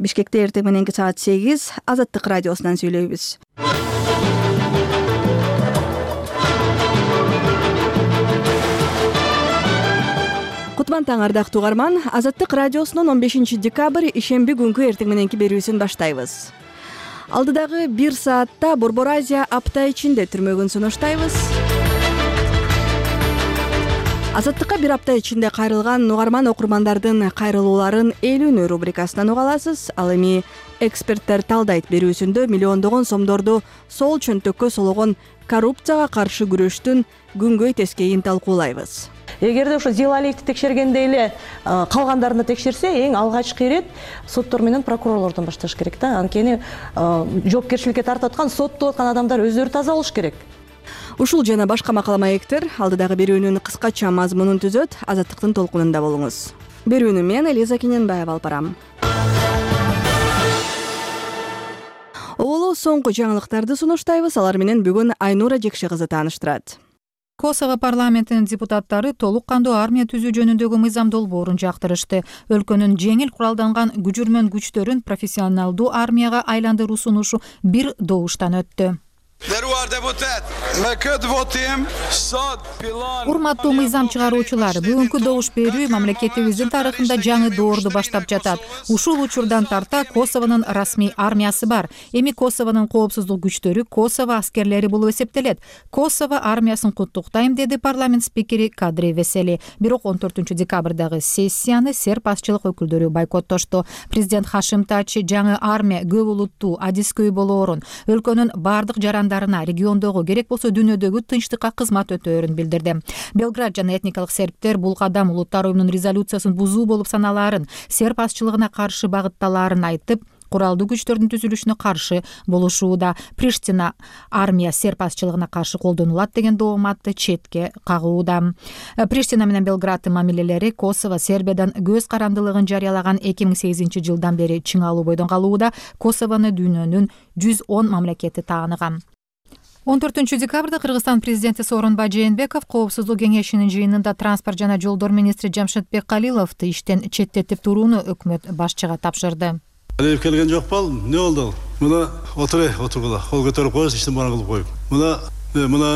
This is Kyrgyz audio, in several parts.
Бишкекте эртең мененки саат 8 Азаттык радиосунан сүйлөйбүз. Кутман таң ардактуу угарман, Азаттык радиосунун 15 декабрь ишемби күнкү эртең мененки берүүсүн баштайбыз. Алдыдагы 1 саатта Борбор Азия апта ичинде түрмөгүн сунуштайбыз. Азаттыкка бир апта ичинде кайрылган угарман окурмандардын кайрылууларын элүүнү рубрикасынан уга аласыз. Ал эми эксперттер талдайт берүүсүндө миллиондогон сомдорду сол чөнтөккө сологон коррупцияга каршы күрөштүн күнгөй тескейин талкуулайбыз. Эгерде ошо Зилалиевди текшергенде эле калгандарына текшерсе, эң алгачкы ирет соттор менен прокурорлордон башташ керек да. Анткени жоопкерчиликке тартып аткан, соттоп аткан адамдар өздөрү таза болуш керек. Ушул жана башка макала маектер алдыдагы берүүнүн кыскача мазмунун түзөт. Азаттыктын толкунунда болуңуз. Берүүнү мен Элиза Кененбаева алып барам. Олу соңку жаңылыктарды сунуштайбыз. Алар менен бүгүн Айнура Жекше кызы тааныштырат. Косово парламентинин депутаттары толук кандуу армия түзүү жөнүндөгү мыйзам долбоорун жактырышты. Өлкөнүн жеңил куралданган күжүрмөн күчтөрүн профессионалдуу армияга айландыруу сунушу бир добуштан өттү. Урматтуу мыйзам чыгаруучулар, бүгүнкү добуш берүү мамлекетибиздин тарыхында жаңы доорду баштап жатат. Ушул учурдан тарта Косовонун расмий армиясы бар. Эми Косовонун коопсуздук күчтөрү Косово аскерлери болуп эсептелет. Косово армиясын куттуктайм, деди парламент спикери Кадри Весели. Бирок 14 декабрдагы сессияны серб азчылык өкүлдөрү бойкоттошту. Президент Хашим Тачи жаңы армия көп улуттуу, адискөй болоорун, өлкөнүн бардык жарандарына, региондогу, керек болсо дүйнөдөгү тынчтыкка кызмат өтөөрүн билдирди. Белград жана этникалык сербтер бул кадам улуттар уюмунун резолюциясын бузуу болуп саналаарын, серб азчылыгына каршы багытталаарын айтып, куралдуу күчтөрдүн түзүлүшүнө каршы болушууда. Приштина армия серб азчылыгына каршы колдонулат деген дооматты четке кагууда. Приштина менен Белграддын мамилелери Косово Сербиядан көз карандылыгын жарыялаган 2008 жылдан бери чыңалуу бойдон калууда. Косовону дүйнөнүн 110 мамлекети тааныган. 14 декабрда Кыргызстан президенти Сооронбай Жээнбеков Коопсуздук кеңешинин жыйынында транспорт жана жолдор министри Жамшитбек Калиловду иштен четтетип турууну өкмөт башчыга тапшырды. Алиев келген жок балым, эмне болду? Мына отургула, кол көтөрүп коесуз, иштин баарын кылып коюп. Мына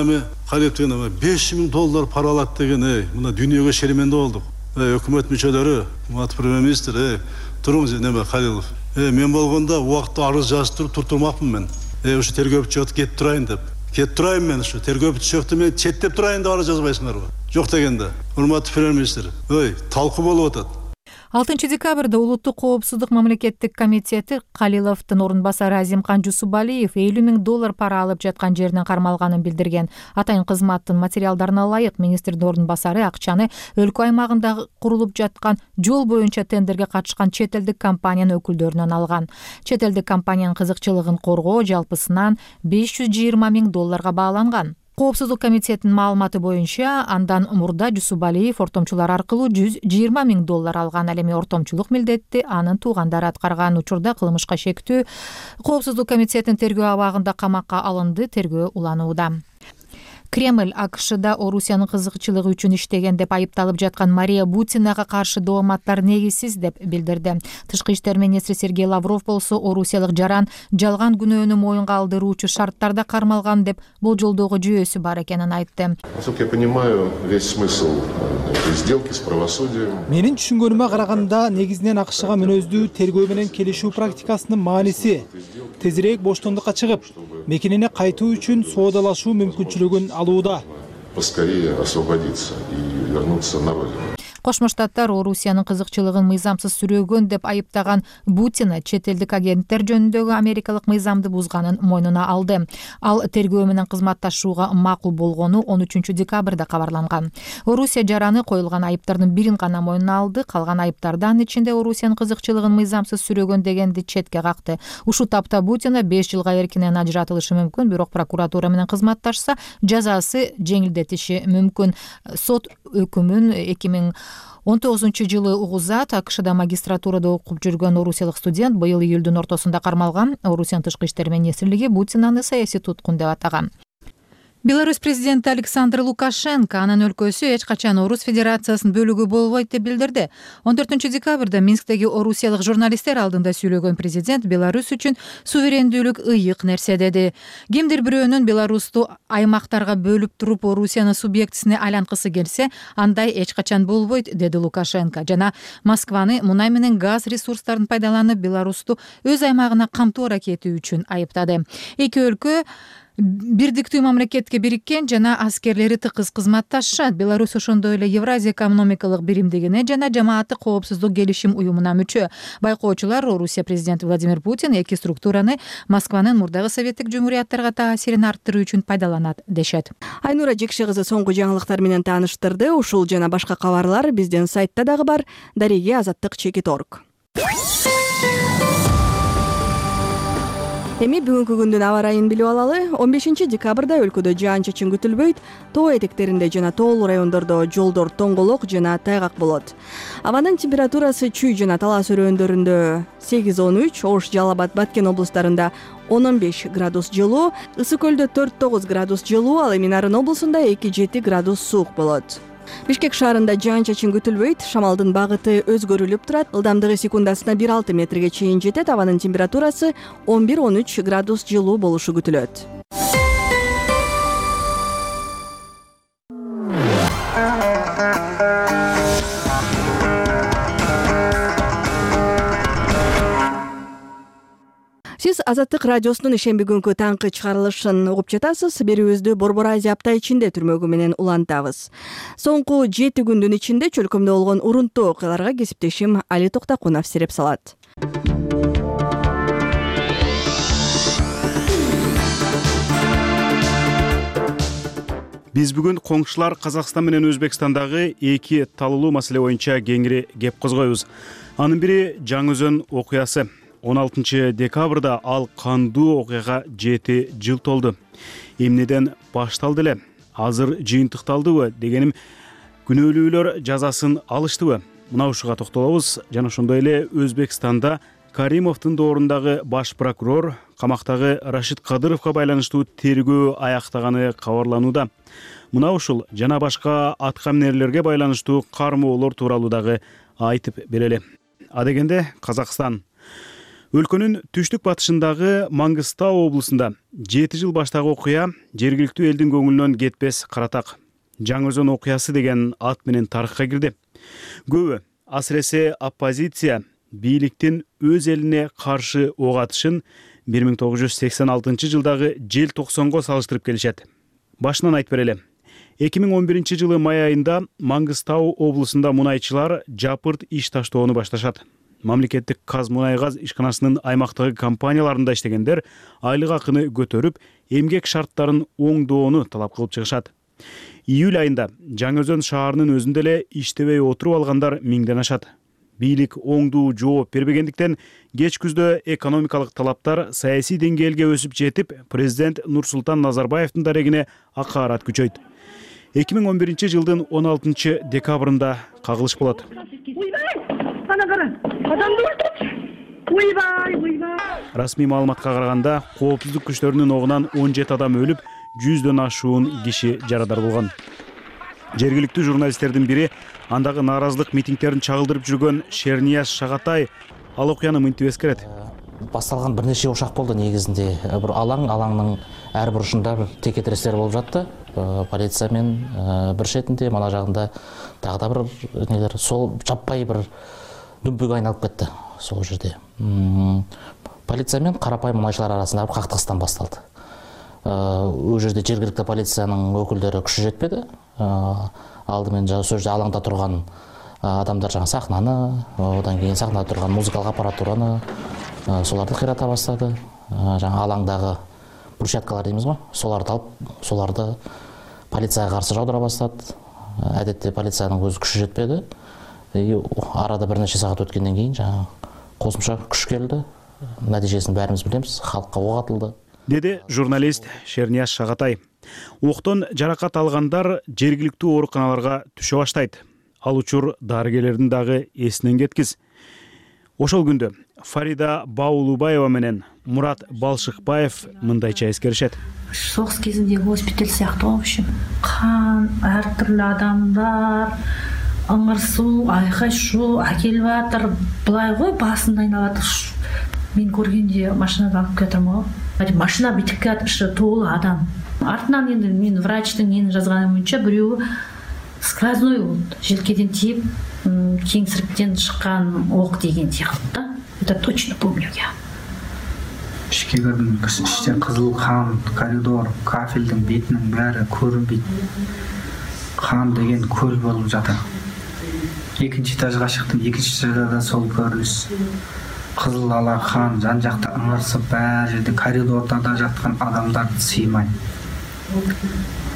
эми Калиев деген $5,000 пара алат деген, мына дүйнөгө шерименде болдук. Өкмөт мүчөлөрү, матбур премьер-министр, туруңуз, неме Калилов. Мен болгондо убакытта арыз жазып турмакмын мен. Ушу тергөө бүтчөтү кетип турайын деп. Кетип турайын мен ушу тергөө бүтчөтү мен четтеп турайын деп арыз жазбайсыңарбы? Жок дегенде. Урматтуу премьер-министр, талкуу болуп атат. 6 декабрда Улуттук коопсуздук мамлекеттик комитети Калиловдун орун басары Азимкан Жусубалиев $50,000 пара алып жаткан жеринен кармалганын билдирген. Атайын кызматтын материалдарына ылайык министрдин орун басары акчаны өлкө аймагында курулуп жаткан жол боюнча тендерге катышкан чет элдик компаниянын өкүлдөрүнөн алган. Чет элдик компаниянын кызыкчылыгын коргоо жалпысынан $520,000 бааланган. Коопсуздук комитетинин маалыматы боюнча, андан мурда Жусубалиев ортомчулар аркылуу $120,000 алган. Ал эми ортомчулук милдетти анын туугандары аткарган. Учурда кылмышка шектүү Коопсуздук комитетинин тергөө абагында камакка алынды, тергөө уланууда. Кремль АКШда Орусиянын кызыкчылыгы үчүн иштеген деп айыпталып жаткан Мария Бутинага каршы дооматтар негизсиз деп билдирди. Тышкы иштер министри Сергей Лавров болсо орусиялык жаран жалган күнөөнү моюнга алдыруучу шарттарда кармалган деп болжолдоого жүйөсү бар экенин айтты. Менин түшүнгөнүмө караганда негизинен АКШга мүнөздүү тергөө менен келишүү практикасынын мааниси тезирээк боштондукка чыгып, мекенине кайтуу үчүн соодалашуу мүмкүнчүлүгүн алууда. Поскорее освободиться и вернуться на родину. Кошмо Штаттар Орусиянын кызыкчылыгын мыйзамсыз сүрөөгөн деп айыптаган Бутина чет элдик агенттер жөнүндөгү америкалык мыйзамды бузганын мойнуна алды. Ал тергөө менен кызматташууга макул болгону 13 декабрда кабарланган. Орусия жараны коюлган айыптардын бирин гана мойнуна алды, калган айыптарды анын ичинде Орусиянын кызыкчылыгын мыйзамсыз сүрөөгөн дегенди четке какты. Ушул тапта Бутина 5 жылга эркинен ажыратылышы мүмкүн, бирок прокуратура менен кызматташса жазасы жеңилдетиши мүмкүн. Сот өкүмүн 2019 жылы угузат. АКШда магистратурада окуп жүргөн орусиялык студент быйыл июлдун ортосунда кармалган. Орусиянын тышкы иштер министрлиги Бутинаны саясий туткун деп атаган. Беларусь президенти Александр Лукашенко анын өлкөсү эч качан Орус Федерациясынын бөлүгү болбойт деп билдирди. 14 декабрда Минсктеги орусиялык журналисттер алдында сүйлөгөн президент Беларусь үчүн суверендүүлүк ыйык нерсе деди. Кимдир бирөөнүн Беларусту аймактарга бөлүп туруп Орусияны субъектисине айланткысы келсе, андай эч качан болбойт, деди Лукашенко. Жана Москваны мунай менен газ ресурстарын пайдаланып Беларусту өз аймагына камтуу аракети үчүн айыптады. Эки өлкө бирдиктүү мамлекетке бириккен жана аскерлери тыкыз кызматташат. Беларусь ошондой эле Евразия экономикалык биримдигине жана жамааттык коопсуздук келишим уюмуна мүчө. Байкоочулар Орусия президенти Владимир Путин эки структураны Москванын мурдагы советтик жумурияттарга таасирин арттыруу үчүн пайдаланат дешет. Айнура Жекше кызы соңку жаңылыктар менен тааныштырды. Ушул жана башка кабарлар биздин сайтта дагы бар. Дареге Азаттык.org. Эми бүгүнкү күндүн аба ырайын билип алалы. 15 декабрда өлкөдө жаан-чачын күтүлбөйт. Тоо этектеринде жана тоолуу райондордо жолдор тоңголок жана тайгак болот. Абанын температурасы Чүй жана Талас өрөөндөрүндө 8-13, Ош, Жалал Абад, Баткен облустарында 10-15 градус жылуу, Ысык көлдө 4-9 градус жылуу, ал эми Нарын облусунда 2-7 градус суук болот. Бишкек шаарында жаан-чачын күтүлбөйт. Шамалдын багыты өзгөрүлүп турат. Ылдамдыгы секундасына 1-6 метрге чейин жетет. Абанын температурасы 11-13 градус жылуу болушу күтүлөт. Сиз Азаттык радиосунун ишемби күнкү таңкы чыгарылышын угуп жатасыз. Берүүбүздү Борбор Азия апта ичинде түрмөгү менен улантабыз. Соңку 7 күндүн ичинде чөлкөмдө болгон урунттуу окуяларга кесиптешим Али Токтакунов сереп салат. Биз бүгүн коңшулар Казакстан менен Өзбекстандагы эки талуулуу маселе боюнча кеңири кеп козгойбуз. Анын бири Жаңы-Өзөн окуясы. 16 декабрда ал кандуу окуяга 7 жыл толду. Эмнеден башталды эле? Азыр жыйынтыкталдыбы дегеним, күнөөлүүлөр жазасын алыштыбы? Мына ушуга токтолобуз. Жана ошондой эле Өзбекстанда Каримовдун доорундагы баш прокурор камактагы Рашид Кадыровго байланыштуу тергөө аяктаганы кабарланууда. Мына ушул жана башка атка минерлерге байланыштуу кармоолор тууралуу дагы айтып берели. Адегенде Казакстан өлкөнүн түштүк батышындагы Маңгыстау облусунда 7 жыл баштагы окуя жергиликтүү элдин көңүлүнөн кетпес каратак. Жаңы-Өзөн окуясы деген ат менен тарыхка кирди. Көбү, асыресе оппозиция, бийликтин өз элине каршы ок атышын 1986 жылдагы желтоқсонго салыштырып келишет. Башынан айтып берели. 2011 жылы май айында Маңгыстау облусунда мунайчылар жапырт иш таштоону башташат. Мамлекеттик Казмунайгаз ишканасынын аймактагы компанияларында иштегендер айлык акыны көтөрүп, эмгек шарттарын оңдоону талап кылып чыгышат. Июль айында Жаңы-Өзөн шаарынын өзүндө эле иштебей отуруп алгандар миңден ашат. Бийлик оңдуу жооп бербегендиктен кеч күздө экономикалык талаптар саясий деңгээлге өсүп жетип, президент Нурсултан Назарбаевдин дарегине акаарат күчөйт. 2011 жылдын 16 декабрында кагылыш болот. Расмий маалыматка караганда, коопсуздук күчтөрүнүн огунан 17 адам өлүп, 100дөн ашуун киши жарадар болгон. Жергиликтүү журналисттердин бири андагы нааразылык митингдерин чагылдырып жүргөн Шернияз Шагатай ал окуяны мынтип эскерет. Басталган бир нече ушак болду негизинде. Бир алаңдын ар бурушунда бир текетирестер болуп жатты. Полиция мен бир шетинде, мана жагында дагы да бир нелер, сол жаппай бир дүмпүгө айналып кетти сол жерде. Полиция мен карапайым мунайчылар арасында бир кактыгыстан басталды. Ол жерде жергиликтүү полициянын өкүлдөрү күчү жетпеди. Алдымен сол жерде алаңда турган адамдар жаңа сахнаны, одан кийин сахнада турган музыкалык аппаратураны соларды кыйрата баштады. Жаңа алаңдагы брусчаткалар деймиз го, соларды алып, соларды полицияга каршы жаудыра баштады. Адетте полициянын өзү күчү жетпеди. Арада бир нече саат өткөндөн кийин жаңа косумча күч келди. Натыйжесин баарыбыз билебиз, халкка ок атылды, деди журналист Шернияз Шагатай. Октон жаракат алгандар жергиликтүү ооруканаларга түшө баштайт. Ал учур дарыгерлердин дагы эсинен кеткиз. Ошол күндө Фарида Баулубаева менен Мурат Балшыкбаев мындайча эскеришет. согуз кезиндеги госпиталь сыяктуу в общем. Кан, ар түрлүү адамдар, ыңыр суу, айкай шуу акелип атыр. Былай го басында айналат. Мен көргенде машинада алып кетем го. Машина битип кетип толуу адам. Артынан енді мен врачтың нені жазғаны боюнча бирөө сквозной болду. Желкеден тиіп, кеңсіріктен шыққан оқ деген сияқты да. Это точно помню я. Ішке кірдім, іште қызыл қан, коридор, кафелдің бетінің бәрі көрінбейді. Қан деген көл болып жатыр. Екінші этажға шықтым, екінші этажда сол көрініс. Қызыл ала қан, жан жақта ыңырсып, бәр жерде коридорда да жатқан адамдарды сыймай.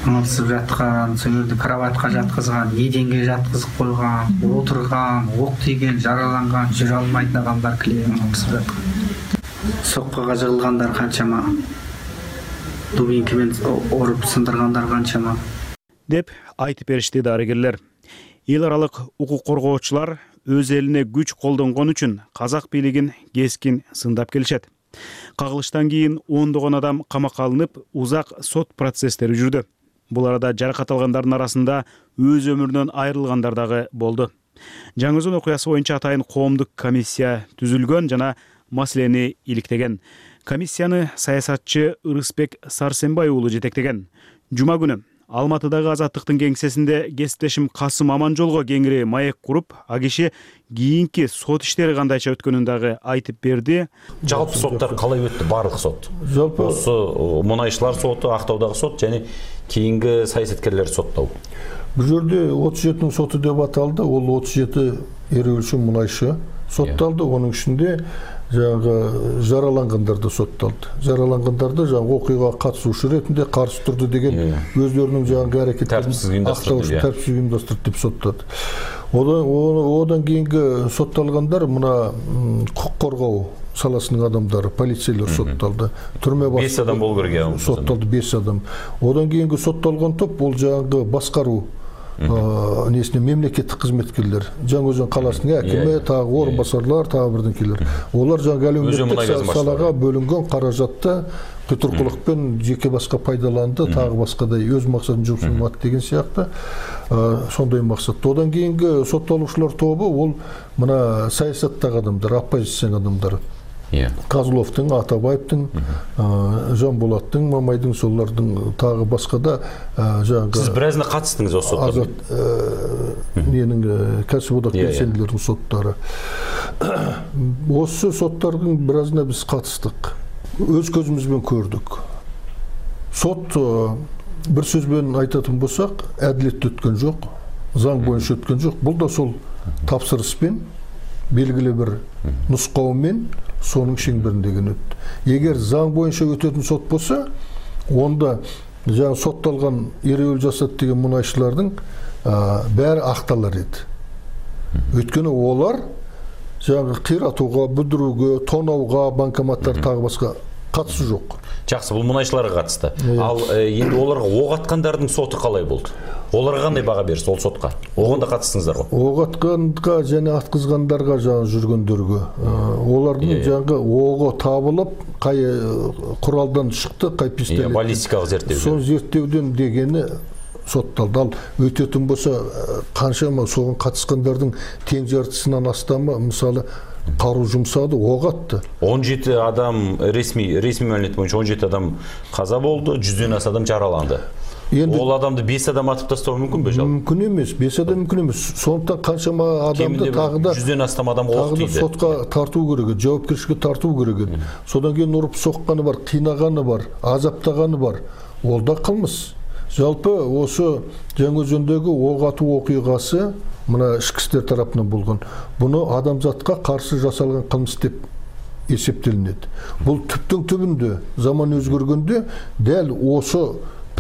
Ыңырсып жатқан, сол жерде кроватқа жатқызған, еденге жатқызып қойған, отырған, оқ тиген, жараланған, жүре алмайтын адамдар кілең ыңырсып жатқан. Соққыға жығылғандар қаншама, дубинкамен ұрып сындырғандар қаншама. Деп айтып беришти дарыгерлер. Эл аралык укук коргоочулар өз элине күч колдонгон үчүн казак бийлигин кескин сындап келишет. Кагылыштан кийин ондогон адам камакка алынып, узак сот процесстери жүрдү. Бул арада жаракат алгандардын арасында өз өмүрүнөн айрылгандар дагы болду. Жаңы Өзөн окуясы боюнча атайын коомдук комиссия түзүлгөн жана маселени иликтеген. Комиссияны саясатчы Ырысбек Сарсенбай уулу жетектеген. Жума күнү Алматыдагы Азаттыктын кеңсесинде кесиптешим Касым Аманжолго кеңири маек куруп, а киши кийинки сот иштери кандайча өткөнүн дагы айтып берди. Жалпы соттар калай өттү, барлык сот? Жалпы мунайчылар соту, Актаудагы сот және кийинки саясаткерлер соттоо. Бул жерде 37 соту деп аталды. Ол 37 эрүүчү мунайчы сотталды. Онун ичинде жаңағы жараланғандарды сотталды. Жараланғандарды жаңағы окуяга катышуучу ретинде каршы турду деген өздөрүнүн жаңағы аракеттерин тартипсиз уюмдастырды деп соттады. Одан кийинки сотталгандар мына укук коргоо саласынын адамдары, полицейлер сотталды. Түрмө 5 адам болу керек. Сотталды 5 адам. Одан кийинки сотталган топ бул жаңағы баскаруу несіне мемлекеттик кызметкерлер, Жаңы Өзөн каласынын акими, тагы орун басарлар, тагы бирденкелер. Олар жаңы әлеуметтик салага бөлүнгөн каражатты кытыркулукпен жеке башка пайдаланды, тагы башкадай өз максатын жумшурмат деген сыяктуу сондай максатта. Одан кийинки соттолуучулар тобу ол мына саясаттагы адамдар, оппозициянын адамдары. Козловдун, Атабаевдин, Жанболаттын, Мамайдын, солардын тагы башкада жаңы Сиз биразына катыштыңыз осы соттарга? Менин кәсиподак белсендилердин соттары. Осы соттардын биразына биз катыштык. Өз көзүбүз көрдүк. Сот бир сөз менен айтатын болсак, адилеттүү өткөн жок, заң боюнча өткөн жок. Бул да сол тапсырыспен белгилүү бир нускоо менен сонун шеңберинде өттү. Эгер заң боюнча өтөтүн сот болсо, онда жаңы сотталган эрүүл жасат деген мунайчылардын баары акталар эди. Өткөнү олар жаңы кыйратууга, бүдүрүүгө, тонауга, банкоматтар тагы башка катышы жок. Жакшы, бул мунайчыларга катышты. Ал эми оларга ок аткандардын соту калай болду? Оларга кандай бага берсиз ол сотко? Огонда катыштыңыздарбы? Ок атканга жана аткызгандарга жаңы жүргөндөргө, олардын жаңы ого табылып, кай куралдан чыкты, кай пистолет. Баллистикалык зерттөө. Сол зерттөөдөн дегени сотталды. Ал өтөтүн болсо, канчама согун катышкандардын тең жартысынан астамы, мисалы, каруу жумсады, ок атты. 17 адам ресми маалымат боюнча 17 адам каза болду, 100дөн аса адам жараланды. Ол адамды 5 адам атып тастоо мүмкүнбү жалпы? Мүмкүн эмес, 5 адам мүмкүн эмес. Сондуктан канчама адамды тагы да 100дөн астам адам ок тийди. Сотко тартуу керек, жоопкерчиликке тартуу керек. Содан кийин уруп сокканы бар, кыйнаганы бар, азаптаганы бар. Ол да кылмыш. Жалпы осы Жаңы Өзөндөгү ок атуу окуйгасы мына ички иштер тарапынан болгон. Буну адамзатка каршы жасалган кылмыш деп эсептелинет. Бул түптүн түбүндө заман өзгөргөндө дәл осы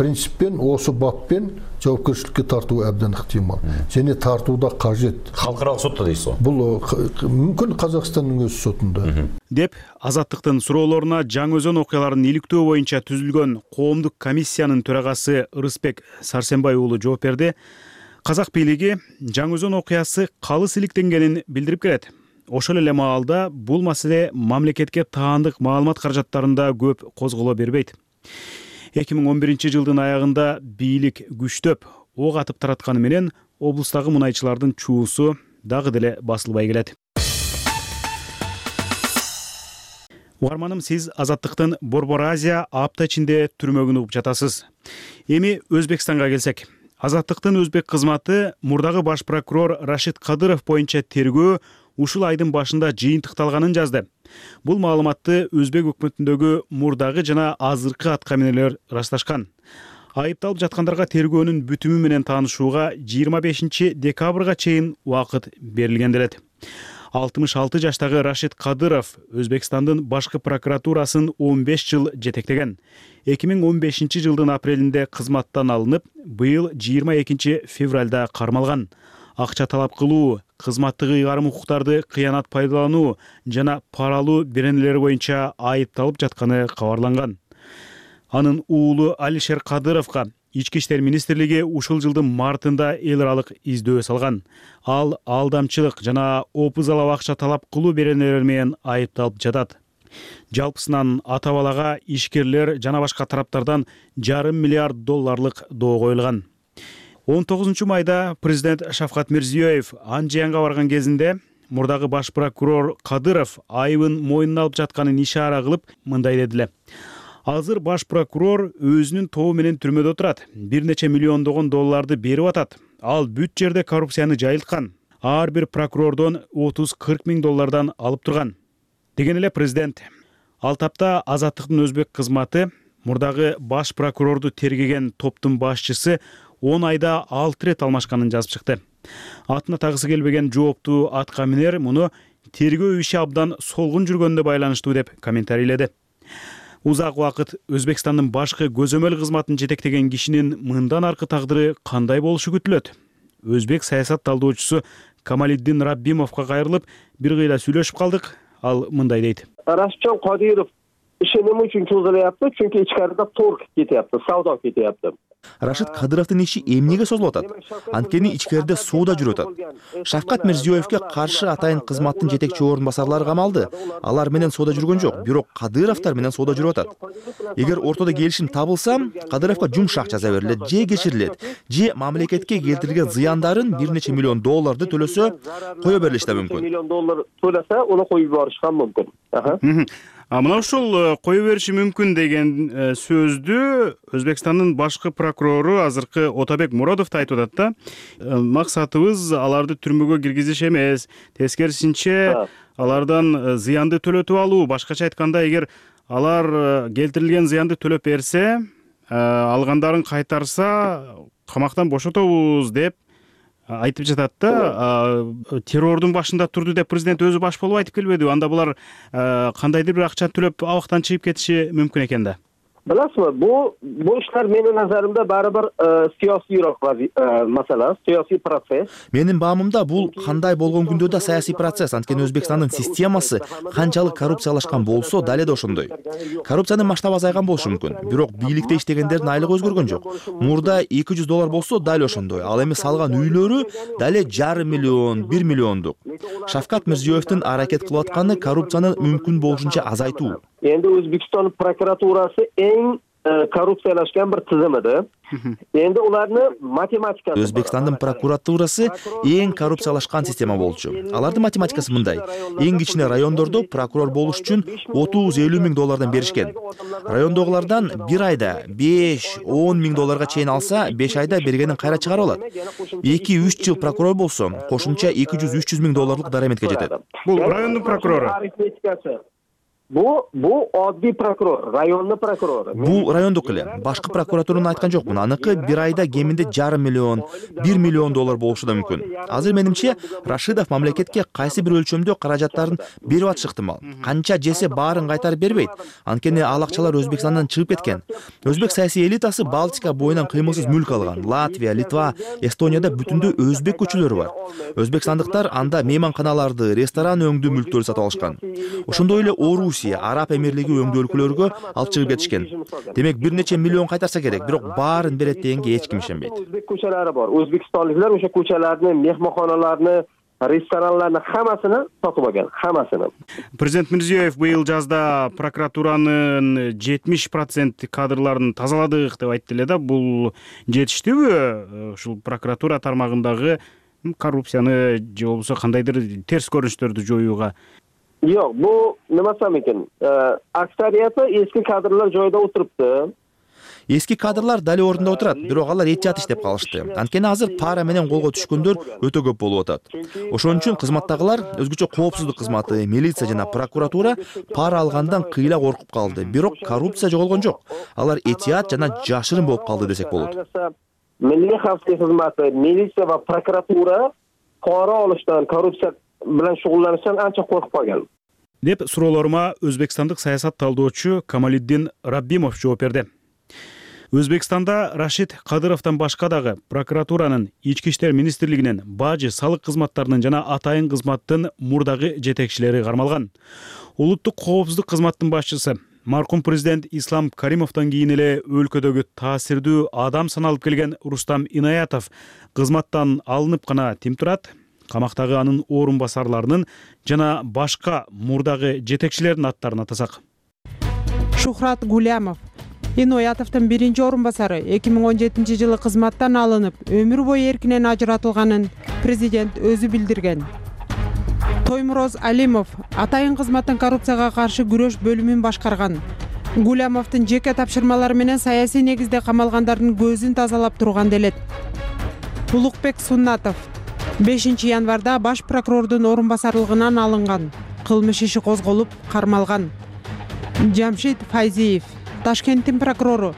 принциппен, осы баппен жоопкерчиликке тартуу абдан ыктымал. Және тартууда кажет. Халкыралык сотто дейсиз го? Бул мүмкүн Казакстандын өз сотунда. Деп Азаттыктын суроолоруна Жаңы Өзөн окуяларын иликтөө боюнча түзүлгөн коомдук комиссиянын төрагасы Ырысбек Сарсенбай уулу жооп берди. Казак бийлиги Жаңы Өзөн окуясы калыс иликтенгенин билдирип келет. Ошол эле маалда бул маселе мамлекетке таандык маалымат каражаттарында көп козголо бербейт. 2011-жылдын аягында бийлик күчтөп ок атып таратканы менен облустагы мунайчылардын чуусу дагы деле басылбай келет. Угарманым, сиз Азаттыктын Борбор Азия апта ичинде түрмөгүн угуп жатасыз. Эми Өзбекстанга келсек. Азаттыктын өзбек кызматы мурдагы баш прокурор Рашид Кадыров боюнча тергөө ушул айдын башында жыйынтыкталганын жазды. Бул маалыматты өзбек өкмөтүндөгү мурдагы жана азыркы аткаминерлер ырасташкан. Айыпталып жаткандарга тергөөнүн бүтүмү менен таанышууга 25 декабрга чейин убакыт берилген делет. 66 жаштагы Рашид Кадыров Өзбекстандын башкы прокуратурасын 15 жыл жетектеген. 2015 жылдын апрелинде кызматтан алынып, быйыл 22 февралда кармалган. Акча талап кылуу, кызматтык ыйгарым укуктарды кыянат пайдалануу жана пара алуу беренелери боюнча айыпталып жатканы кабарланган. Анын уулу Алишер Кадыровго Ички иштер министрлиги ушул жылдын мартында эл аралык издөө салган. Ал алдамчылык жана опузалап акча талап кылуу беренелери менен айыпталып жатат. Жалпысынан ата балага ишкерлер жана башка тараптардан $500 миллиард доо коюлган. 19 майда президент Шавкат Мирзиёев Анжиянга барган кезинде мурдагы баш прокурор Кадыров айыбын мойнуна алып жатканын ишара кылып мындай дедиле. Азыр баш прокурор өзүнүн тобу менен түрмөдө турат. Бир нече миллиондогон долларды берип атат. Ал бүт жерде коррупцияны жайылткан. Ар бир прокурордон 30-40 миң доллардан алып турган. Деген эле президент. Ал тапта Азаттыктын өзбек кызматы мурдагы баш прокурорду тергеген топтун башчысы 10 айда 6 рет алмашканын жазып чыкты. Атына тагысы келбеген жооптуу аткаминер муну тергөө иши абдан солгун жүргөнүнө байланыштуу деп комментарийледи. Узак убакыт Өзбекстандын башкы көзөмөл кызматын жетектеген кишинин мындан аркы тагдыры кандай болушу күтүлөт? Өзбек саясат талдоочусу Камалиддин Раббимовго кайрылып, бир кыйла сүйлөшүп калдык. Ал мындай дейт. Рашидjon Qodirov işi nima uchun cho'zilyapti? Chunki ichkarida torg ketyapti, savdo ketyapti. Рашид Кадыровдун иши эмнеге созулуп атат? Анткени ичкерде соода жүрүп атат. Шавкат Мирзиёевге каршы атайын кызматтын жетекчи орун басарлары камалды. Алар менен соода жүргөн жок, бирок Кадыровдор менен соода жүрүп атат. Эгер ортодо келишим табылса, Кадыровго жумшак жаза берилет, же кечирилет, же мамлекетке келтирген зыяндарын бир нече миллион долларды төлөсө, кое берилиши да мүмкүн. Миллион доллар төлөсө, аны коюп юборушкан мүмкүн. Мына ушул кое бериши мүмкүн деген сөздү Өзбекстандын башкы прокурору азыркы Отабек Муродов да айтып атат да. Максатыбыз аларды түрмөгө киргизиш эмес, тескерисинче алардан зыянды төлөтүп алуу. Башкача айтканда, эгер алар келтирилген зыянды төлөп берсе, алгандарын кайтарса, камактан бошотобуз деп айтып жатат да. Террордун башында турду деп президент өзү баш болуп айтып келбеди. Анда булар кандайдыр бир акча төлөп абактан чыгып кетиши мүмкүн экен да. Bilasizmi, bu ishlar mening nazarimda baribir siyosiyroq masala, siyosiy proses. Менин баамымда бул кандай болгон күндө да саясий процесс. Анткени Өзбекстандын системасы канчалык коррупциялашкан болсо, дале да ошондой. Коррупциянын масштабы азайган болушу мүмкүн, бирок бийликте иштегендердин айлыгы өзгөргөн жок. Мурда $200 болсо, дале ошондой. Ал эми салган үйлөрү дале $500 миллион, 1 миллиондук. Шавкат Мирзиёевдин аракет кылып атканы коррупцияны мүмкүн болушунча азайтуу. Endi O'zbekiston prokuraturasi eng korrupsiyalashgan bir tizim edi. Endi ularni matematika. Өзбекстандын прокуратурасы эң коррупциялашкан система болчу. Алардын математикасы мындай. Эң кичине райондордо прокурор болуш үчүн $30-50 миң доллардан беришкен. Райондогулардан бир айда $5-10 миң долларга чейин алса, 5 айда бергенин кайра чыгарып алат. 2-3 жыл прокурор болсо, кошумча $200-300 миң долларлык дараметке жетет. Бул райондун прокурору. Bu oddiy prokuror, rayonning prokurori. Бул райондук эле. Башкы прокуратураны айткан жокмун. Аныкы бир айда кеминде $500 миллион, 1 миллион доллар болушу да мүмкүн. Азыр менимче Рашидов мамлекетке кайсы бир өлчөмдө каражаттарын берип атышы ыктымал. Канча жесе баарын кайтарып бербейт. Анткени ал акчалар Өзбекстандан чыгып кеткен. Өзбек саясий элитасы Балтика боюнан кыймылсыз мүлк алган. Латвия, Литва, Эстонияда бүтүндө өзбек көчөлөрү бар. Өзбекстандыктар анда мейманканаларды, ресторан өңдүү мүлктөрдү сатып алышкан. Ошондой эле Араб эмирлиги өңдүү өлкөлөргө алып чыгып кетишкен. Демек бир нече миллион кайтарса керек, бирок баарын берет дегенге эч ким ишенбейт. O'zbek ko'chalari bor. O'zbekistonliklar o'sha ko'chalarni, mehmonxonalarni restoranlarning hammasini sotib olgan, hammasini. Президент Мирзиёев быйыл жазда прокуратуранын 70% кадрларын тазаладык деп айтты эле да. Бул жетиштүүбү ушул прокуратура тармагындагы коррупцияны же болбосо кандайдыр терс көрүнүштөрдү жоюуга? Yo'q, bu nima desam ekan? Aksariyati eski kadrlar joyida o'tiribdi. Эски кадрлар дали ордунда отурат, бирок алар эч жат иштеп калышты. Анткени азыр пара менен колго түшкөндөр өтө көп болуп атат. Ошон үчүн кызматтагылар, өзгөчө коопсуздук кызматы, милиция жана прокуратура пара алгандан кыйла коркуп калды. Бирок коррупция жоголгон жок. Алар этият жана жашырын болуп калды десек болот. Milliy xavfsizlik xizmati, militsiya va prokuratura pora olishdan, korrupsiya bilan shug'ullanishdan ancha qo'rqib qolgan. Деп суроолорума өзбекстандык саясат талдоочу Камалиддин Раббимов жооп берди. Өзбекстанда Рашид Кадыровдон башка дагы прокуратуранын, Ички иштер министрлигинин, бажы, салык кызматтарынын жана атайын кызматтын мурдагы жетекчилери кармалган. Улуттук коопсуздук кызматтын башчысы маркум президент Ислам Каримовдон кийин эле өлкөдөгү таасирдүү адам саналып келген Рустам Инаятов кызматтан алынып гана тим турат. Камактагы анын орун басарларынын жана башка мурдагы жетекчилердин аттарын атасак. Шухрат Гулямов Иноятовдун биринчи орун басары 2017-жылы кызматтан алынып, өмүр бою эркинен ажыратылганын президент өзү билдирген. Тоймуроз Алимов атайын кызматтын коррупцияга каршы күрөш бөлүмүн башкарган. Гулямовдун жеке тапшырмалары менен саясий негизде камалгандардын көзүн тазалап турган делет. Улукбек Суннатов 5 январда баш прокурордун орун басарлыгынан алынган. Кылмыш иши козголуп, кармалган. Жамшид Файзиев Ташкенттин прокурору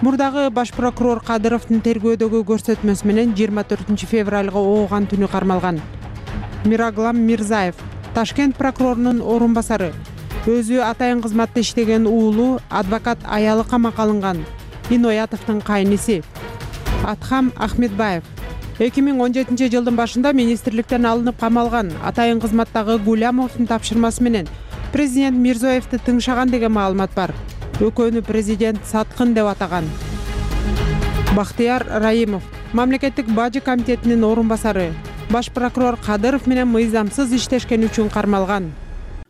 мурдагы баш прокурор Кадыровдун тергөөдөгү көрсөтмөсү менен 24 февралга ооган түнү кармалган. Мираглам Мирзаев Ташкент прокурорунун орун басары өзү атайын кызматта иштеген уулу адвокат аялы камакка алынган. Иноятовдун кайниси Атхам Ахмедбаев 2017 жылдын башында министрликтен алынып камалган. Атайын кызматтагы Гулямовдун тапшырмасы менен президент Мирзиёевди тыңшаган деген маалымат бар. Өкөнү президент саткын деп атаган. Бактияр Раимов мамлекеттик бажы комитетинин орун басары баш прокурор Кадыров менен мыйзамсыз иштешкен үчүн кармалган.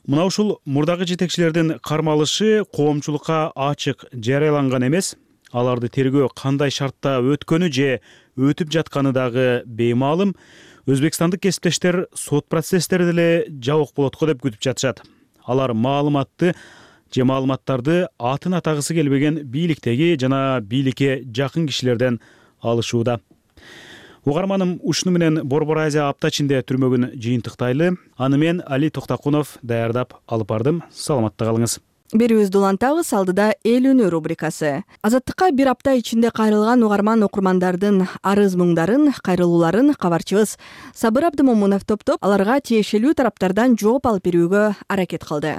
Мына ушул мурдагы жетекчилердин кармалышы коомчулукка ачык жарыяланган эмес. Аларды тергөө кандай шартта өткөнү же өтүп жатканы дагы беймаалым. Өзбекстандык кесиптештер сот процесстери деле жабык болот го деп күтүп жатышат. Алар маалыматты же маалыматтарды атын атагысы келбеген бийликтеги жана бийликке жакын кишилерден алышууда. Угарманым ушуну менен Борбор Азия апта ичинде түрмөгүн жыйынтыктайлы. Аны мен Али Токтакунов даярдап алып бардым. Саламатта калыңыз. Берүүбүздү улантабыз. Алдыда эл үнү рубрикасы. Азаттыкка бир апта ичинде кайрылган угарман окурмандардын арыз муңдарын, кайрылууларын кабарчыбыз Сабыр Абдымомунов топтоп, аларга тиешелүү тараптардан жооп алып берүүгө аракет кылды.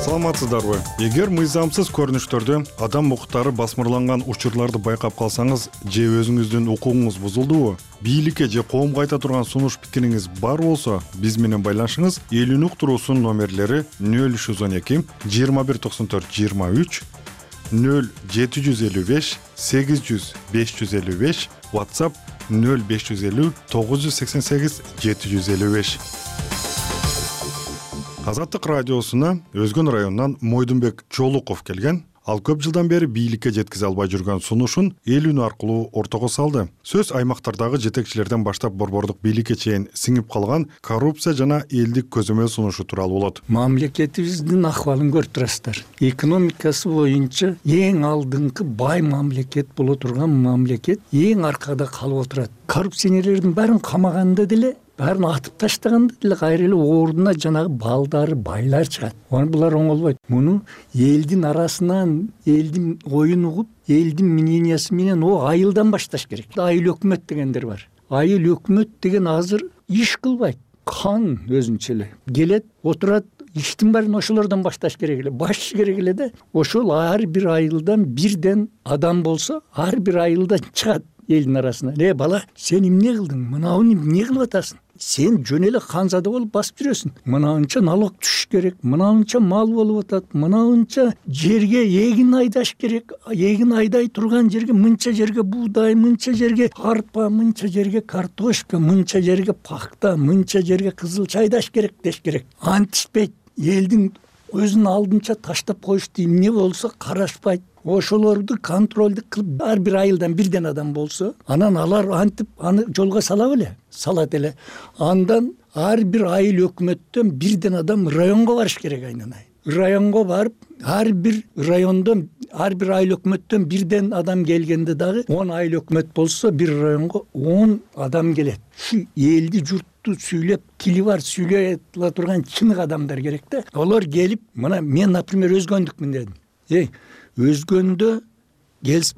Саламатсыздарбы? Эгер мыйзамсыз көрүнүштөрдө адам укуктары басмырланган учурларды байкап калсаңыз же өзүңүздүн укугуңуз бузулдубу, бийликке же коомго айта турган сунуш пикириңиз бар болсо, биз менен байланышыңыз. Эл үнү уктуруусунун номерлери 0312 2194 23, 0755 800 555, WhatsApp 0550 988 755. Азаттык радиосуна Өзгөн районунан Мойдунбек Жолуков келген. Ал көп жылдан бери бийликке жеткизе албай жүргөн сунушун эл үнү аркылуу ортого салды. Сөз аймактардагы жетекчилерден баштап борбордук бийликке чейин сиңип калган коррупция жана элдик көзөмөл сунушу тууралуу болот. Мамлекетибиздин акыбалын көрүп турасыздар. Экономикасы боюнча эң алдыңкы бай мамлекет боло турган мамлекет эң аркада калып отурат. Коррупционерлердин баарын камаганда деле, баарын атып таштаганда деле кайра эле ордуна жанагы балдары, байлар чыгат. Булар оңолбойт. Муну элдин арасынан, элдин оюн угуп, элдин мнениясы менен айылдан башташ керек. Айыл өкмөт дегендер бар. Айыл өкмөт деген азыр иш кылбайт. Хан өзүнчө эле келет, отурат, иштин баарын ошолордон башташ керек эле, баш керек эле да. Ошол ар бир айылдан бирден адам болсо, ар бир айылдан чыгат элдин арасына. Бала, сен эмне кылдың? Мынауну эмне кылып атасың? сен жөн эле ханзада болуп басып жүрөсүң. Мынанча налог түшүш керек, мынанча мал болуп атат, мынанча жерге эгин айдаш керек. Эгин айдай турган жерге мынча жерге буудай, мынча жерге арпа, мынча жерге картошка, мынча жерге пахта, мынча жерге кызыл чайдаш керек деш керек. Антишпейт. Элдин өзүнүн алдынча таштап коюшту эмне болсо карашпайт. Ошолорду контролду кылып ар бир айылдан бирден адам болсо, анан алар антип аны жолго сала беле, салат эле. Андан ар бир айыл өкмөттөн бирден адам районго барыш керек айнанай. Районго барып, ар бир райондон, ар бир айыл өкмөттөн бирден адам келгенде дагы 10 айыл өкмөт болсо, бир районго 10 адам келет. Şu элди журтту сүйлөп, тили бар сүйлөй ала турган чынык адамдар керек да. Олар келип, мына мен, например, өзгөндүкмүн дедим. Өзгөндө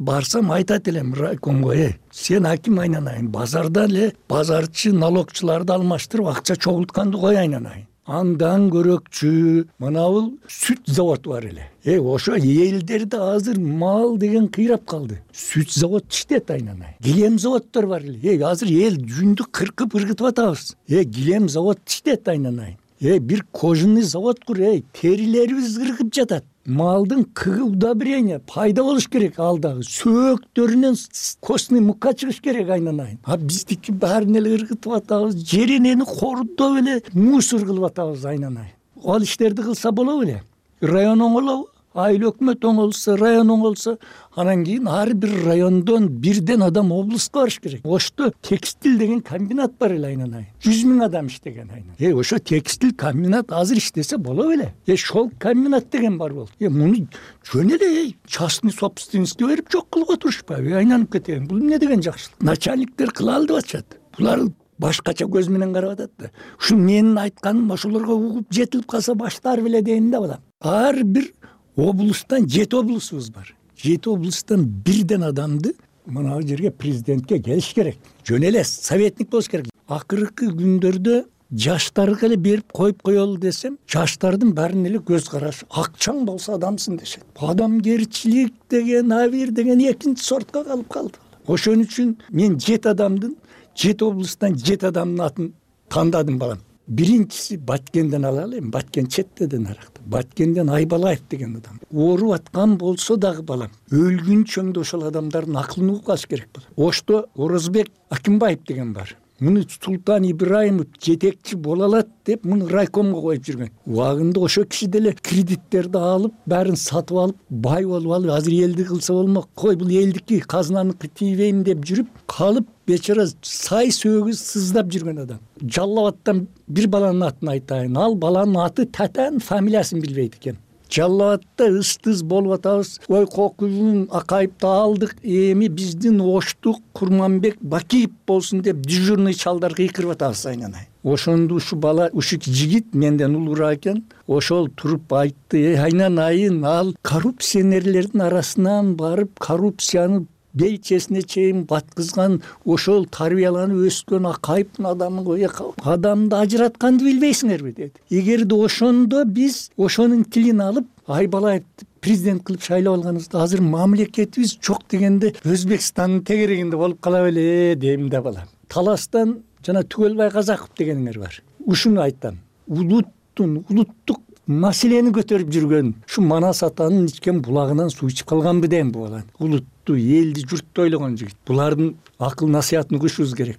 барсам айтат элем райкомго, сен аким айнанайын, базарда эле базарчы, налогчуларды алмаштырып акча чогултканды кой айнанайын. Андан көрөкчү мынабул сүт заводу бар эле. Ошо элдерде азыр мал деген кыйрап калды. Сүт завод иштет айнанай. Килем заводдор бар эле. Азыр эл жүндү кыркып ыргытып атабыз. Килем завод иштет айнанай. Бир кожаный завод кур, терилерибиз ыргып жатат. Малдын кыгы удобрение пайда болуш керек алдагы. Сөөктөрүнөн костный мукка чыгыш керек айнанайын. Биздики баарын эле ыргытып атабыз. Жеренени кордоп эле мусор кылып атабыз айнанайын. Ал иштерди кылса болобу эле. Район оңолобу? Айыл өкмөт оңолсо, район оңолсо, анан кийин ар бир райондон бирден адам облуска барыш керек. Ошто текстиль деген комбинат бар эле айнанайын. 100 000 адам иштеген айнанайын. Ошо текстиль комбинат азыр иштесе болобу эле. Шолк комбинат деген бар болду. Муну жөн эле частный собственностьке берип жок кылып отурушпайбы? Айланып кеткен. Бул эмне деген жакшылык? Начальниктер кыла алды атышат. Булар башкача көз менен карап атат да. Ушу менин айтканым ошолорго угуп жетилип калса баштар беле дейин да балам. Ар бир облустан 7 облусубуз бар. 7 облустан бирден адамды мына жерге президентке келиш керек. Жөн эле советник болуш керек. Акыркы күндөрдө жаштарга эле берип коюп коелу десем, жаштардын баарынын эле көз карашы акчаң болсо адамсың дешет. Адамгерчилик деген, абир деген экинчи сортко калып калды. Ошон үчүн мен 7 адамдын, 7 облустан 7 адамдын атын тандадым балам. Биринчиси Баткенден алалы, Баткен четтеден аракта. Баткенден Айбалаев деген адам. Ооруп аткан болсо дагы балам, өлгүнчөмдө ошол адамдардын акылын угуп калыш керек болот. Ошто Орозбек Акимбаев деген бар. Муну Султан Ибраимов жетекчи боло алат деп муну райкомго коюп жүргөн. Убагында ошо киши деле кредиттерди алып, баарын сатып алып, бай болуп алып, азыр элди кылса болмок. Кой бул элдики, казнаныкы тийбейм деп жүрүп калып, бечара сай сөөгү сыздап жүргөн адам. Жалал Абадтан бир баланын атын айтайын. Ал баланын аты Татан, фамилиясын билбейт экен. Жалал Абадта ыстыз болуп атабыз. Ой Кокузун Акаевди алдык, эми биздин Оштук Курманбек Бакиев болсун деп дежурный чалдар кыйкырып атабыз айнанай. Ошондо ушу бала, ушу жигит менден улуураак экен. Ошол туруп айтты: айнанайын, ал коррупционерлердин арасынан барып коррупцияны бейчесине чейин баткызган, ошол тарбияланып өскөн Акаевдин адамы го. Адамды ажыратканды билбейсиңерби деди. Эгерде ошондо биз ошонун тилин алып Айбалаевди президент кылып шайлап алганыбызда азыр мамлекетибиз жок дегенде Өзбекстандын тегерегинде болуп кала беле дейм да балам. Таластан жана Түгөлбай Казаков дегениңер бар. Ушуну айтам. Улуттук маселени көтөрүп жүргөн ушу Манас атанын ичкен булагынан суу ичип калганбы дейм бу баланы. Улутту, элди, журтту ойлогон жигит. Булардын акыл насыятын угушубуз керек.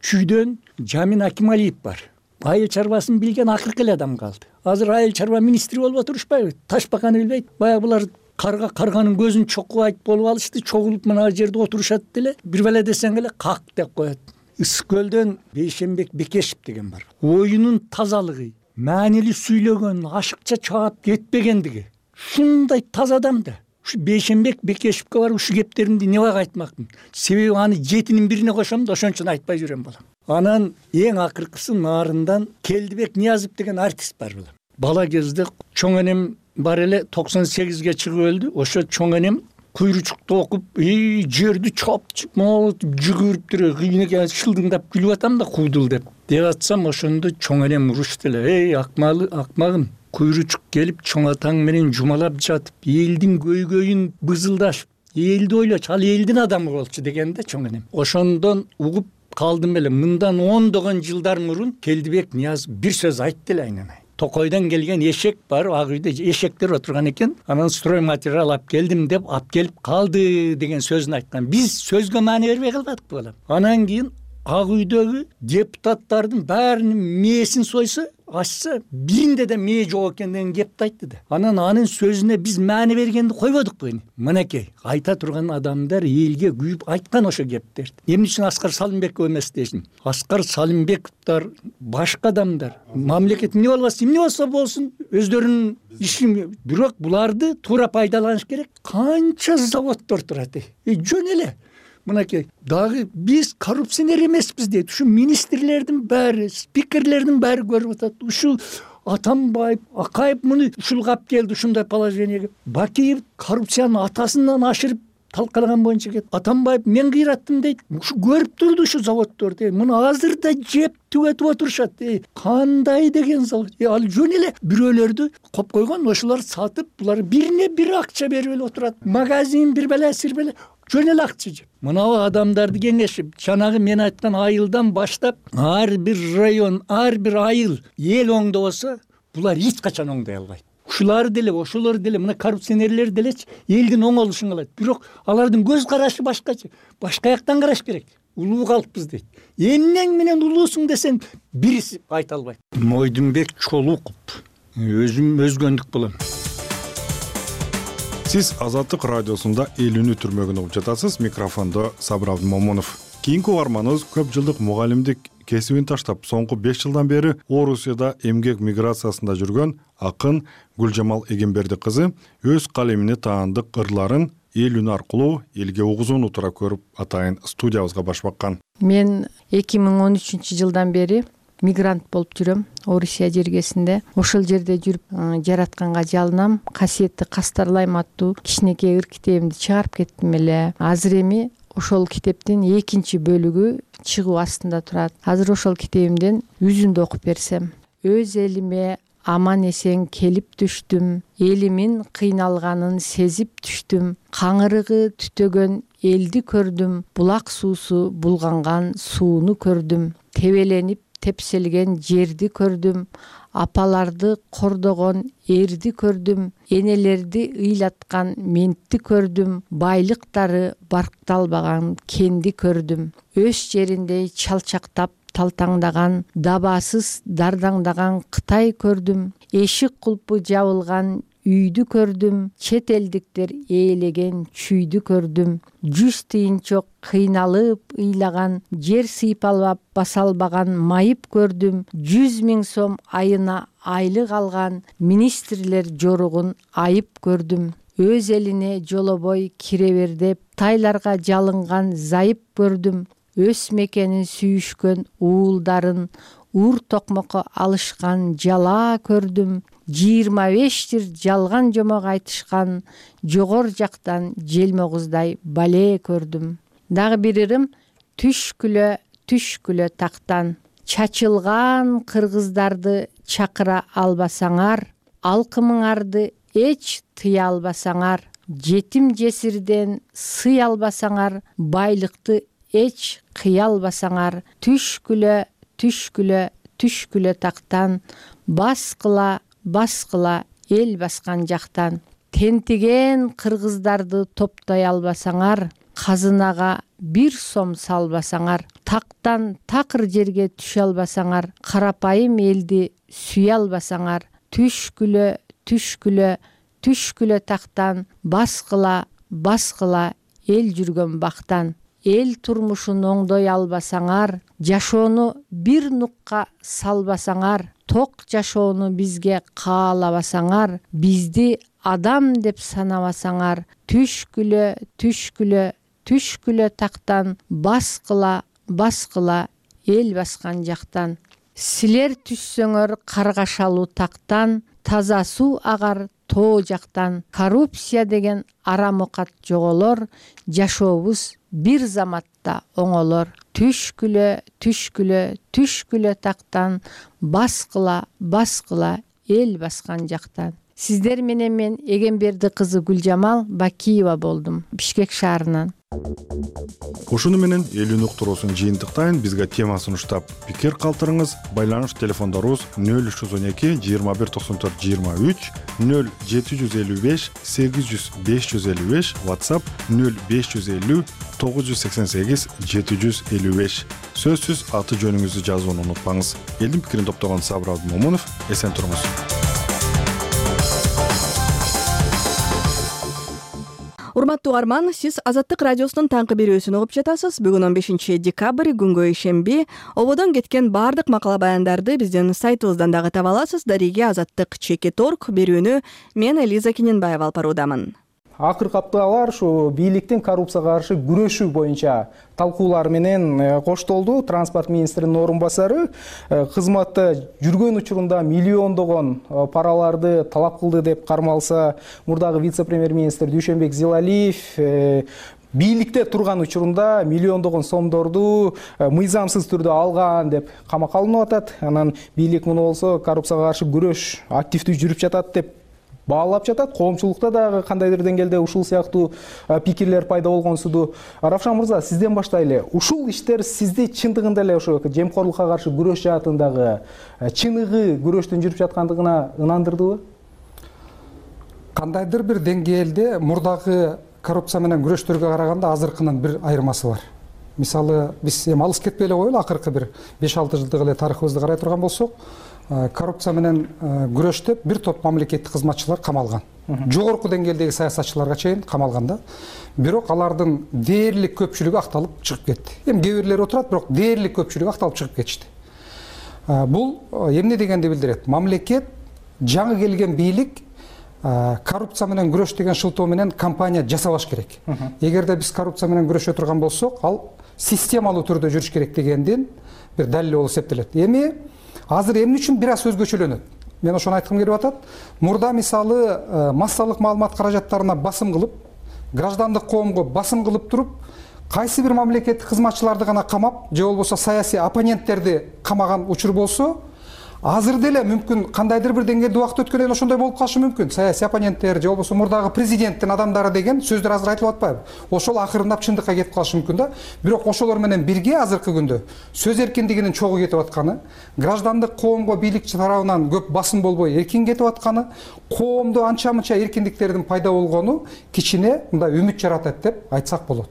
Чүйдөн Жамин Акималиев бар. Айыл чарбасын билген акыркы эле адам калды. Азыр айыл чарба министри болуп отурушпайбы? Ташбаканы билбейт. Баягы булар карганын көзүн чокубайт болуп алышты, чогулуп мына жерде отурушат деле. Бир беле десең эле как деп коет. Ысык көлдөн Бейшенбек Бекешев деген бар. Оюнун тазалыгы, маанилүү сүйлөгөн, ашыкча чаап кетпегендиги. Шундай таза адам да. Ушу Бейшенбек Бекешевке барып ушу кептеримди небага айтмакмын. Себеби аны 7-нин бирине кошом да ошон үчүн айтпай жүрөм балам. Анан эң акыркысы нарындан Келдибек Ниязов деген артист бар балам. Бала кезде чоң энем бар эле 98ге чыгып өлдү. Ошо чоң энем куйручукту окуп, жерди чапчып, жүгүрүп туруп, кийинеге шылдыңдап күлүп атам да куудул деп атсам, ошондо чоң энем урушты эле. Акмагым, куйручук келип чоң атаң менен жумалап жатып, элдин көйгөйүн бызылдашып, элди ойлочу, ал элдин адамы болчу дегенде чоң энем. Ошондон угуп калдым эле. Мындан 10 жылдар мурун Келдибек Ниязов бир сөз айтты эле айнанай. Токойдон келген эшек бар, ак үйдө эшектер отурган экен. Анан строй материал алып келдим деп алып келип калды деген сөзүн айткан. Биз сөзгө маани бербей калбадык балам. Анан кийин ак үйдөгү депутаттардын баарынын мээсин сойсо, ачса, биринде да мээ жок экен деген кепти айтты да. Анан анын сөзүнө биз маани бергенди койбодукпу эми? Мынакей, айта турган адамдар элге күйүп айткан ошо кептерди. Эмне үчүн Аскар Салымбеков эмес дейсиң? Аскар Салымбековдор, башка адамдар, мамлекет эмне болбосун, эмне болсо болсун, өздөрүнүн ишин, бирок буларды туура пайдаланыш керек. Канча заводдор турат? Жөн эле. Мынакей, дагы биз коррупционер эмеспиз дейт. Ушу министрлердин баары, спикерлердин баары көрүп атат. Ушул Атамбаев, Акаев муну ушулгап келди, ушундай положенияга. Бакиев коррупциянын атасынан ашырып талкалаган боюнча кетти. Атамбаев мен кыйраттым дейт. Ушу көрүп турду ушу заводдорду. Муну азыр да жеп түгөтүп отурушат. Кандай деген завод? Ал жөн эле бирөөлөрдү коп койгон, ошолор сатып, булар бирине бир акча берип эле отурат. Магазин бир беле, сир беле жөн эле акча жеп. Мынабу адамдарды кеңешип, жанагы мен айткан айылдан баштап, ар бир район, ар бир айыл эл оңдобосо, булар эч качан оңдой албайт. Ушулар деле, ошолор деле, мына коррупционерлер делечи элдин оңолушун кылат. Бирок алардын көз карашы башкача. Башка жактан караш керек. Улуу калыппыз дейт. Эмнең менен улуусуң десең, бириси айта албайт. Мойдунбек Чолуков, өзүм өзгөндүк болом. Сиз Азаттык радиосунда элүүнү түрмөгүн угуп жатасыз. Микрофондо Сабыр Абдымомунов. Кийинки угарманыбыз көп жылдык мугалимдик кесибин таштап, соңку 5 жылдан бери Орусияда эмгек миграциясында жүргөн акын Гүлжамал Эгемберди кызы өз калемине таандык ырларын эл үнү аркылуу элге угузууну туура көрүп атайын студиябызга баш баккан. Мен 2013 жылдан бери мигрант болуп жүрөм Орусия жергесинде. Ошол жерде жүрүп жаратканга жалынам. Касиетти Кастарлайм аттуу кичинекей ыр китебимди чыгарып кеттим эле. Азыр эми ошол китептин 2 бөлүгү чыгуу астында турат. Азыр ошол китебимден үзүндү окуп берсем. Өз элиме аман эсен келип түштүм. Элимин кыйналганын сезип түштүм. Каңырыгы түтөгөн элди көрдүм. Булак суусу булганган сууну көрдүм. Тебеленип тепселген жерди көрдүм. Апаларды кордогон эрди көрдүм. Энелерди ыйлаткан ментти көрдүм. Байлыктары баркталбаган кенди көрдүм. Өз жериндей чалчактап талтаңдаган, дабасыз дардаңдаган Кытай көрдүм. Эшик кулпу жабылган үйдү көрдүм. Чет элдиктер ээлеген чүйдү көрдүм. 100 тыйынчок кыйналып ыйлаган, жер сыйпалап баса албаган майып көрдүм. 100 000 сом айына айлык алган министрлер жоругун айып көрдүм. Өз элине жолобой кире бер деп тайларга жалынган зайып көрдүм. Өз мекенин сүйүшкөн уулдарын ур токмокко алышкан жала көрдүм. 25 жыл жалган жомок айтышкан жогор жактан желмогуздай бале көрдүм. Дагы бир ырым түшкүлө тактан. Чачылган кыргыздарды чакыра албасаңар, алкымыңарды эч тыя албасаңар, жетим жесирден сый албасаңар, байлыкты эч кыя албасаңар, түшкүлө тактан, баскыла эл баскан жактан. Тентиген кыргыздарды топтой албасаңар, казынага 1 сом салбасаңар, тактан такыр жерге түшө албасаңар, карапайым элди сүйө албасаңар, түшкүлө тактан, баскыла эл жүргөн бактан. Эл турмушун оңдой албасаңар, жашоону бир нукка салбасаңар, ток жашоону бизге каалабасаңар, бизди адам деп санабасаңар, түшкүлө тактан, баскыла эл баскан жактан. Силер түшсөңөр каргашалуу тактан, таза суу агар тоо жактан. Коррупция деген арам окат жоголор, жашообуз бир заматта оңолор. Түшкүлө тактан, баскыла эл баскан жактан. Сиздер менен мен Эгемберди кызы Гүлжамал Бакиева болдум, Бишкек шаарынан. Ушуну менен элүүнү уктуруусун жыйынтыктайын. Бизге тема сунуштап пикир калтырыңыз. Байланыш телефондорубуз 0312 21 94 23, 0755 800 555, WhatsApp 0550 988 755. Сөзсүз аты жөнүңүздү жазууну унутпаңыз. Элдин пикирин топтогон Сабыр Абдымомунов, эсен туруңуз. Урматтуу угарман, сиз Азаттык радиосунун таңкы берүүсүн угуп жатасыз. Бүгүн 15 декабрь, күнгө ишемби. Ободон кеткен баардык макала баяндарды биздин сайтыбыздан дагы таба аласыз. Дареге Азаттык.org берүүнү мен Элиза Кененбаева алып баруудамын. Акыркы апталар ушу бийликтин коррупцияга каршы күрөшүү боюнча талкуулар менен коштолду. Транспорт министринин орун басары кызматта жүргөн учурунда миллиондогон параларды талап кылды деп кармалса, мурдагы вице-премьер-министр Дүйшөнбек Зилалиев бийликте турган учурунда миллиондогон сомдорду мыйзамсыз түрдө алган деп камакка алынып атат. Анан бийлик муну болсо коррупцияга каршы күрөш активдүү жүрүп жатат деп баалап жатат. Коомчулукта дагы кандайдыр деңгээлде ушул сыяктуу пикирлер пайда болгонсуду. Равшан мырза, сизден баштайлы. Ушул иштер сизди чындыгында эле ошо жемкорлукка каршы күрөш жаатындагы чыныгы күрөштүн жүрүп жаткандыгына ынандырдыбы? Кандайдыр бир деңгээлде мурдагы коррупция менен күрөштөргө караганда азыркынын бир айырмасы бар. Мисалы, биз эми алыс кетпей эле коелу, акыркы бир 5-6 жылдык эле тарыхыбызды карай турган болсок, коррупция менен күрөштөп бир топ мамлекеттик кызматчылар камалган. Жогорку деңгээлдеги саясатчыларга чейин камалган да. Бирок алардын дээрлик көпчүлүгү акталып чыгып кетти. Эми кээ бирлери отурат, бирок дээрлик көпчүлүгү акталып чыгып кетишти. Бул эмне дегенди билдирет? Мамлекет, жаңы келген бийлик коррупция менен күрөш деген шылтоо менен кампания жасабаш керек. Эгерде биз коррупция менен күрөшө турган болсок, ал системалуу түрдө жүрүш керек дегендин бир далили болуп эсептелет. Эми азыр эмне үчүн бир аз өзгөчөлөнөт? Мен ошону айткым келип атат. Мурда мисалы массалык маалымат каражаттарына басым кылып, граждандык коомго басым кылып туруп, кайсы бир мамлекеттик кызматчыларды гана камап, же болбосо саясий оппоненттерди камаган учур болсо, азыр деле мүмкүн кандайдыр бир деңгээлде убакыт өткөндөн кийин ошондой болуп калышы мүмкүн. Саясий оппоненттер же болбосо мурдагы президенттин адамдары деген сөздөр азыр айтылып атпайбы? Ошол акырындап чындыкка кетип калышы мүмкүн да. Бирок ошолор менен бирге азыркы күндө сөз эркиндигинин чогуу кетип атканы, граждандык коомго бийликчи тарабынан көп басым болбой эркин кетип атканы, коомдо анча-мынча эркиндиктердин пайда болгону кичине мындай үмүт жаратат деп айтсак болот.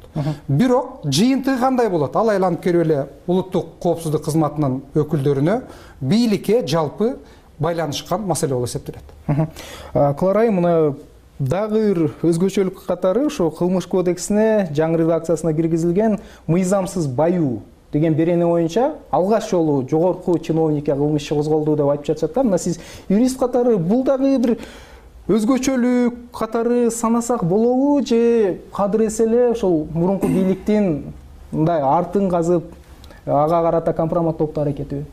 Бирок жыйынтыгы кандай болот? Ал айланып келип эле улуттук коопсуздук кызматынын өкүлдөрүнө бийликке жалпы байланышкан маселе болуп эсептелет. Кларай, мына дагы бир өзгөчөлүк катары ошо кылмыш кодексине жаңы редакциясына киргизилген мыйзамсыз баюу деген берене боюнча алгач жолу жогорку чиновникке кылмыш иши козголду деп айтып жатышат да. Мына сиз юрист катары бул дагы бир өзгөчөлүк катары санасак болобу, же кадыр эсе эле ошол мурунку бийликтин мындай артын казып ага карата компроматтоого аракетиби?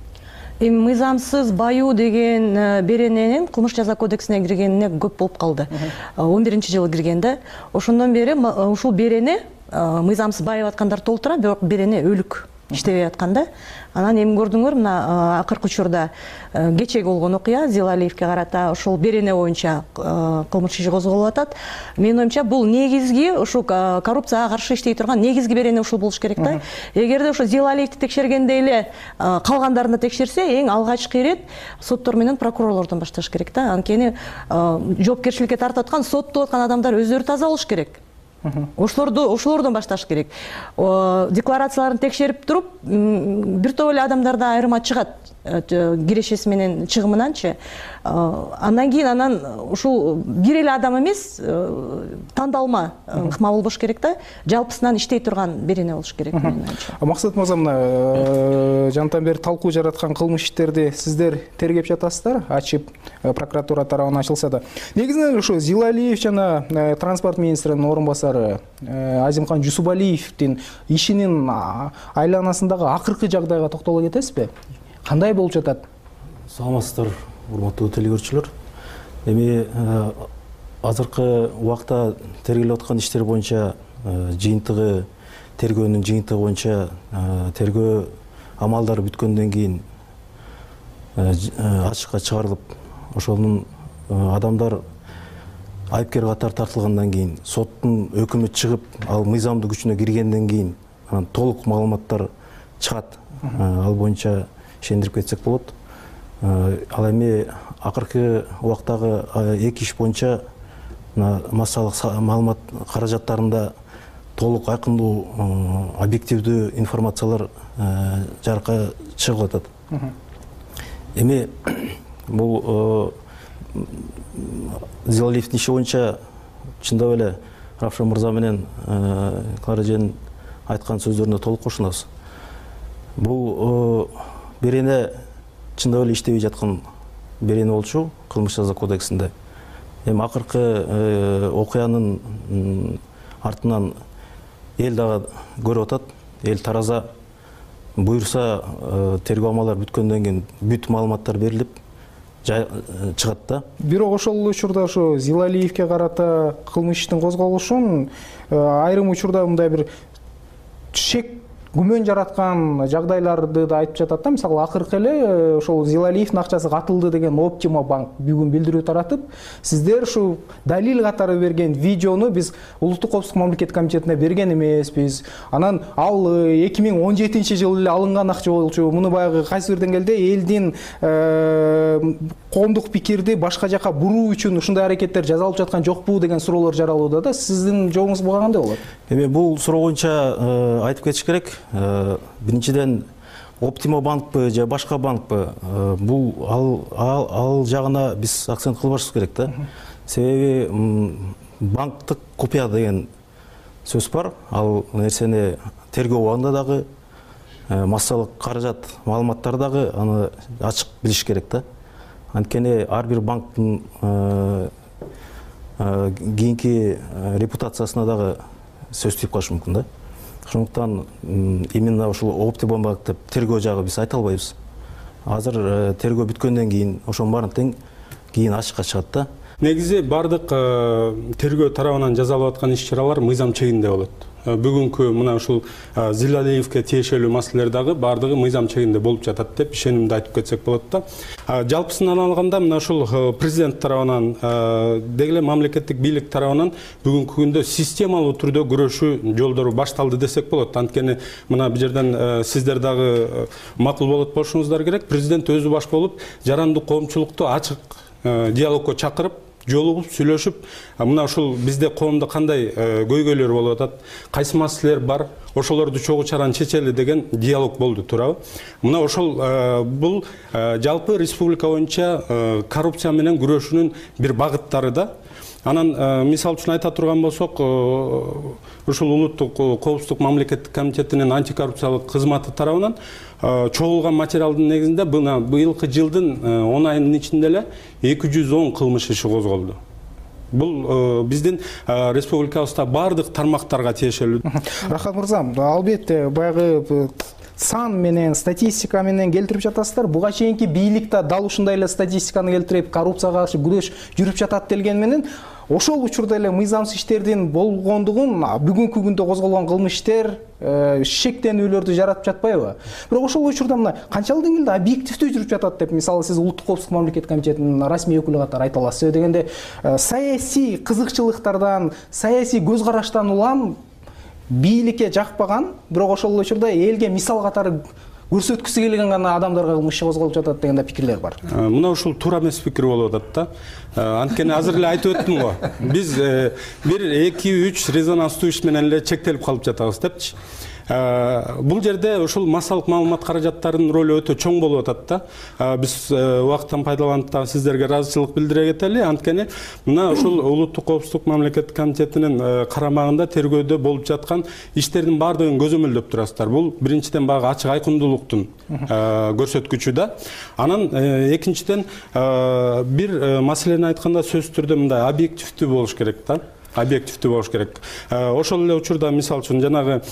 Эми мыйзамсыз баюу деген берененин кылмыш жаза кодексине киргенине көп болуп калды. 11-жылы кирген да. Ошондон бери ушул берене мыйзамсыз байып аткандар толтура, бирок берене өлүк иштебей аткан да. Анан эми көрдүңөр, мына акыркы учурда кечеги болгон окуя Зилалиевке карата ошол берене боюнча кылмыш иши козголуп атат. Менин оюмча бул негизги ушул коррупцияга каршы иштей турган негизги берене ушул болуш керек да. Эгерде ошо Зилалиевди текшергенде эле калгандарын текшерсе, эң алгачкы ирет соттор менен прокурорлордон башташ керек да. Анткени жоопкерчиликке тартып аткан, соттоп аткан адамдар өздөрү таза болуш керек. Ошолордон башташ керек. Декларацияларын текшерип туруп, бир топ эле адамдарда айырма чыгат кирешеси менен чыгымынанчы. Андан кийин ушул бир эле адам эмес, тандалма ыкма болбош керек да. Жалпысынан иштей турган берене болуш керек менин оюмча. Максат мырза, мына жантан бери талкуу жараткан кылмыш иштерди сиздер тергеп жатасыздар, ачып прокуратура тарабынан ачылса да. Негизинен ошо Зилалиев жана транспорт министринин орун басары Азимхан Жусупалиевдин ишинин айланасындагы акыркы жагдайга токтоло кетесизби? Кандай болуп жатат? Саламатсыздар, урматтуу телекөрүүчүлөр. Эми азыркы убакта тергелип аткан иштер боюнча жыйынтыгы, тергөөнүн жыйынтыгы боюнча тергөө амалдары бүткөндөн кийин ачыкка чыгарылып, ошонун адамдар айыпкер катары тартылгандан кийин, соттун өкүмү чыгып, ал мыйзамдуу күчүнө киргенден кийин анан толук маалыматтар чыгат. Ал боюнча ишендирип кетсек болот. Ал эми акыркы убактагы 2 иш боюнча массалык маалымат каражаттарында толук айкындуу, объективдүү информациялар жарыкка чыгып атат. Эми бул Зилалиевдин иши боюнча чындап эле Равшан мырза менен Клара эженин айткан сөздөрүнө толук кошулабыз. Бул берене чындап эле иштебей жаткан берене болчу кылмыш жаза кодексинде. Эми акыркы окуянын артынан эл дагы көрүп атат, эл тараза. Буюрса тергөө амалдары бүткөндөн кийин бүт маалыматтар берилип чыгат да. Бирок ошол учурда ошо Зилалиевге карата кылмыш иштин козголушун айрым учурда мындай бир шек күмөн жараткан жагдайларды да айтып жатат да. Мисалы акыркы эле ошол Зилалиевдин акчасы катылды деген Optima банк бүгүн билдирүү таратып, сиздер ушу далил катары берген видеону биз Улуттук коопсуздук мамлекеттик комитетине берген эмеспиз. Анан ал 2017-жылы эле алынган акча болчу. Муну баягы кайсы бир деңгээлде элдин коомдук пикирди башка жака буруу үчүн ушундай аракеттер жасалып жаткан жокпу деген суроолор жаралууда да. Сиздин жообуңуз буга кандай болот? Эми бул суроо боюнча айтып кетиш керек. Биринчиден Optima банкпы же башка банкпы, бул ал жагына биз акцент кылбашыбыз керек да. Себеби банктык купуя деген сөз бар. Ал нерсени тергөө убагында дагы массалык каражат маалыматтар дагы аны ачык билиш керек да. Анткени ар бир банктын кийинки репутациясына дагы сөз тийип калышы мүмкүн да. Ошондуктан именно ушул Optima банк деп тергөө жагы биз айта албайбыз. Азыр тергөө бүткөндөн кийин ошонун баарын тең кийин ачыкка чыгат да. Негизи бардык тергөө тарабынан жасалып аткан иш-чаралар мыйзам чегинде болот. Бүгүнкү мына ушул Зилалиевге тиешелүү маселелер дагы бардыгы мыйзам чегинде болуп жатат деп ишенимди айтып кетсек болот да. Жалпысынан алганда мына ушул президент тарабынан деги эле мамлекеттик бийлик тарабынан бүгүнкү күндө системалуу түрдө күрөшүү жолдору башталды десек болот. Анткени мына бул жерден сиздер дагы макул болот болушуңуздар керек. Президент өзү баш болуп жарандык коомчулукту ачык диалогко чакырып, жолугуп сүйлөшүп, мына ушул бизде коомдо кандай көйгөйлөр болуп атат, кайсы маселелер бар, ошолорду чогуу чаран чечели деген диалог болду, туурабы? Мына ошол бул жалпы республика боюнча коррупция менен күрөшүүнүн бир багыттары да. Анан мисал үчүн айта турган болсок, ушул Улуттук коопсуздук мамлекеттик комитетинин антикоррупциялык кызматы тарабынан чогулган материалдын негизинде быйылкы жылдын 10 айынын ичинде эле 210 кылмыш иши козголду. Бул биздин республикабызда бардык тармактарга тиешелүү. Рахат мырза, албетте баягы сан менен статистика менен келтирип жатасыздар. Буга чейинки бийлик да дал ушундай эле статистиканы келтирип, коррупцияга каршы күрөш жүрүп жатат делген менен ошол учурда эле мыйзамсыз иштердин болгондугун бүгүнкү күндө козголгон кылмыш иштер шектенүүлөрдү жаратып жатпайбы? Бирок ошол учурда мына канчалык деңгээлде объективдүү жүрүп жатат деп мисалы сиз Улуттук коопсуздук мамлекеттик комитетинин расмий өкүлү катары айта аласыз. Дегенде саясий кызыкчылыктардан, саясий көз караштан улам бийликке жакпаган, бирок ошол учурда элге мисал катары көрсөткүсү келген гана адамдарга кылмыш козголуп жатат деген да пикирлер бар. Мына ушул туура эмес пикир болуп атат да. Анткени азыр эле айтып өттүм го. Биз 1-2-3 резонанстуу иш менен эле чектелип калып жатабыз депчи. Бул жерде ушул массалык маалымат каражаттарынын ролу өтө чоң болуп атат да. Биз убакыттан пайдаланып дагы сиздерге ыраазычылык билдире кетели. Анткени мына ушул Улуттук коопсуздук мамлекеттик комитетинин карамагында тергөөдө болуп жаткан иштердин баардыгын көзөмөлдөп турасыздар. Бул биринчиден баягы ачык айкындуулуктун көрсөткүчү да. Анан экинчиден бир маселени айтканда сөзсүз түрдө мындай объективдүү болуш керек да. Объективдүү болуш керек. Ошол эле учурда мисал үчүн жанагы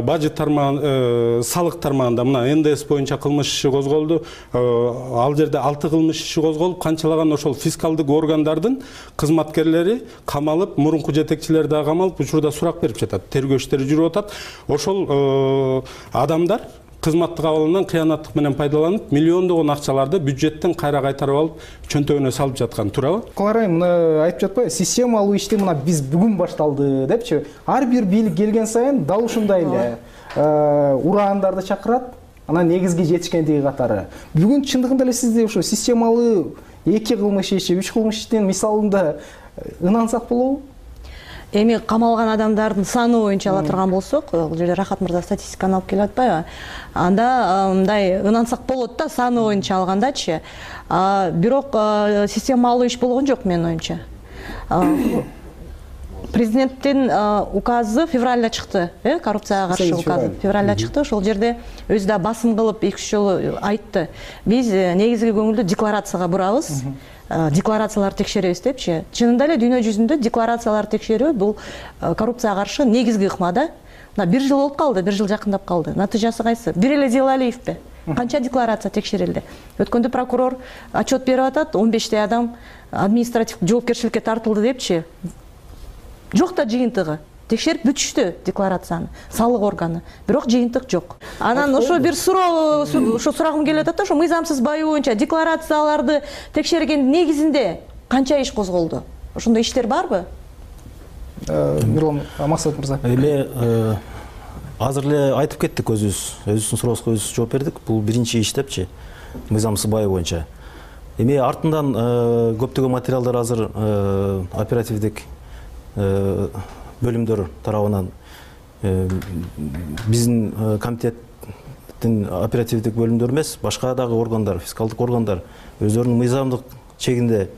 бажет тармагы, салык тармагында мына НДС боюнча кылмыш иши козголду. Ал жерде 6 кылмыш иши козголуп, канчалаган ошол фискалдык органдардын кызматкерлери камалып, мурунку жетекчилери да камалып, учурда сурак берип жатат. Тергөө иштери жүрүп атат. Ошол адамдар кызматтык абалынан кыянаттык менен пайдаланып, миллиондогон акчаларды бюджеттен кайра кайтарып алып, чөнтөгүнө салып жаткан, туурабы? Каларай, мына айтып жатпайбы, системалуу ишти мына биз бүгүн башталды депчи. Ар бир бийлик келген сайын дал ушундай эле ураандарды чакырат, анан негизги жетишкендиги катары. Бүгүн чындыгында эле сизде ошо системалуу 2 кылмыш иши, 3 кылмыш иштин мисалында ынансак болобу? Эми камалган адамдардын саны боюнча ала турган болсок, бул жерде Рахат мырза статистиканы алып келип атпайбы? Анда мындай ынансак болот да, саны боюнча алгандачы. Бирок системалуу иш болгон жок менин оюмча. Президенттин указы февралда чыкты, коррупцияга каршы указы февралда чыкты. Ошол жерде өзү да басым кылып 2-3 жолу айтты. Биз негизги көңүлдү декларацияга бурабыз. Декларацияларды текшеребиз депчи. Чынында эле дүйнө жүзүндө декларацияларды текшерүү бул коррупцияга каршы негизги ыкма да. Мына 1 жыл болуп калды, 1 жыл жакындап калды. Натыйжасы кайсы? Бир эле Зилалиевпи? Канча декларация текшерилди? Өткөндө прокурор отчет берип атат, 15 адам административдик жоопкерчиликке тартылды депчи. Жок да жыйынтыгы. Текшерип бүтүштү декларацияны, салык органы. Бирок жыйынтык жок. Анан ошо бир суроо, ошо сурагым келип атат да, ошо мыйзамсыз байоо боюнча декларацияларды текшерген негизинде канча иш козголду? Ошондой иштер барбы? Мирлан Максат мырза. Эми азыр эле айтып кеттик өзүбүздүн суроосуна өзүбүз жооп бердик. Бул биринчи иш депчи, мыйзамсыз байоо боюнча. Эми артынан көптөгөн материалдар азыр оперативдик бөлүмдөр тарабынан биздин комитеттин оперативдик бөлүмдөр эмес, башка дагы органдар, фискалдык органдар өздөрүнүн мыйзамдык чегинде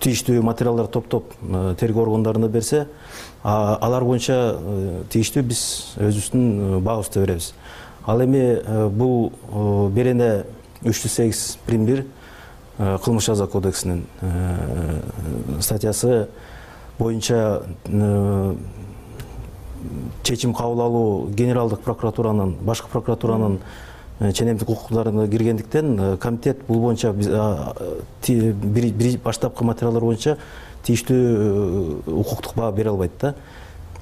тийиштүү материалдар топтоп тергөө органдарына берсе, алар боюнча тийиштүү биз өзүбүздүн баабызды беребиз. Ал эми бул берене 308-1 кылмыш жаза кодексинин статьясы боюнча чечим кабыл алуу генералдык прокуратуранын, башкы прокуратуранын ченемдик укуктарына киргендиктен комитет бул боюнча бир баштапкы материалдар боюнча тийиштүү укуктук баа бере албайт да.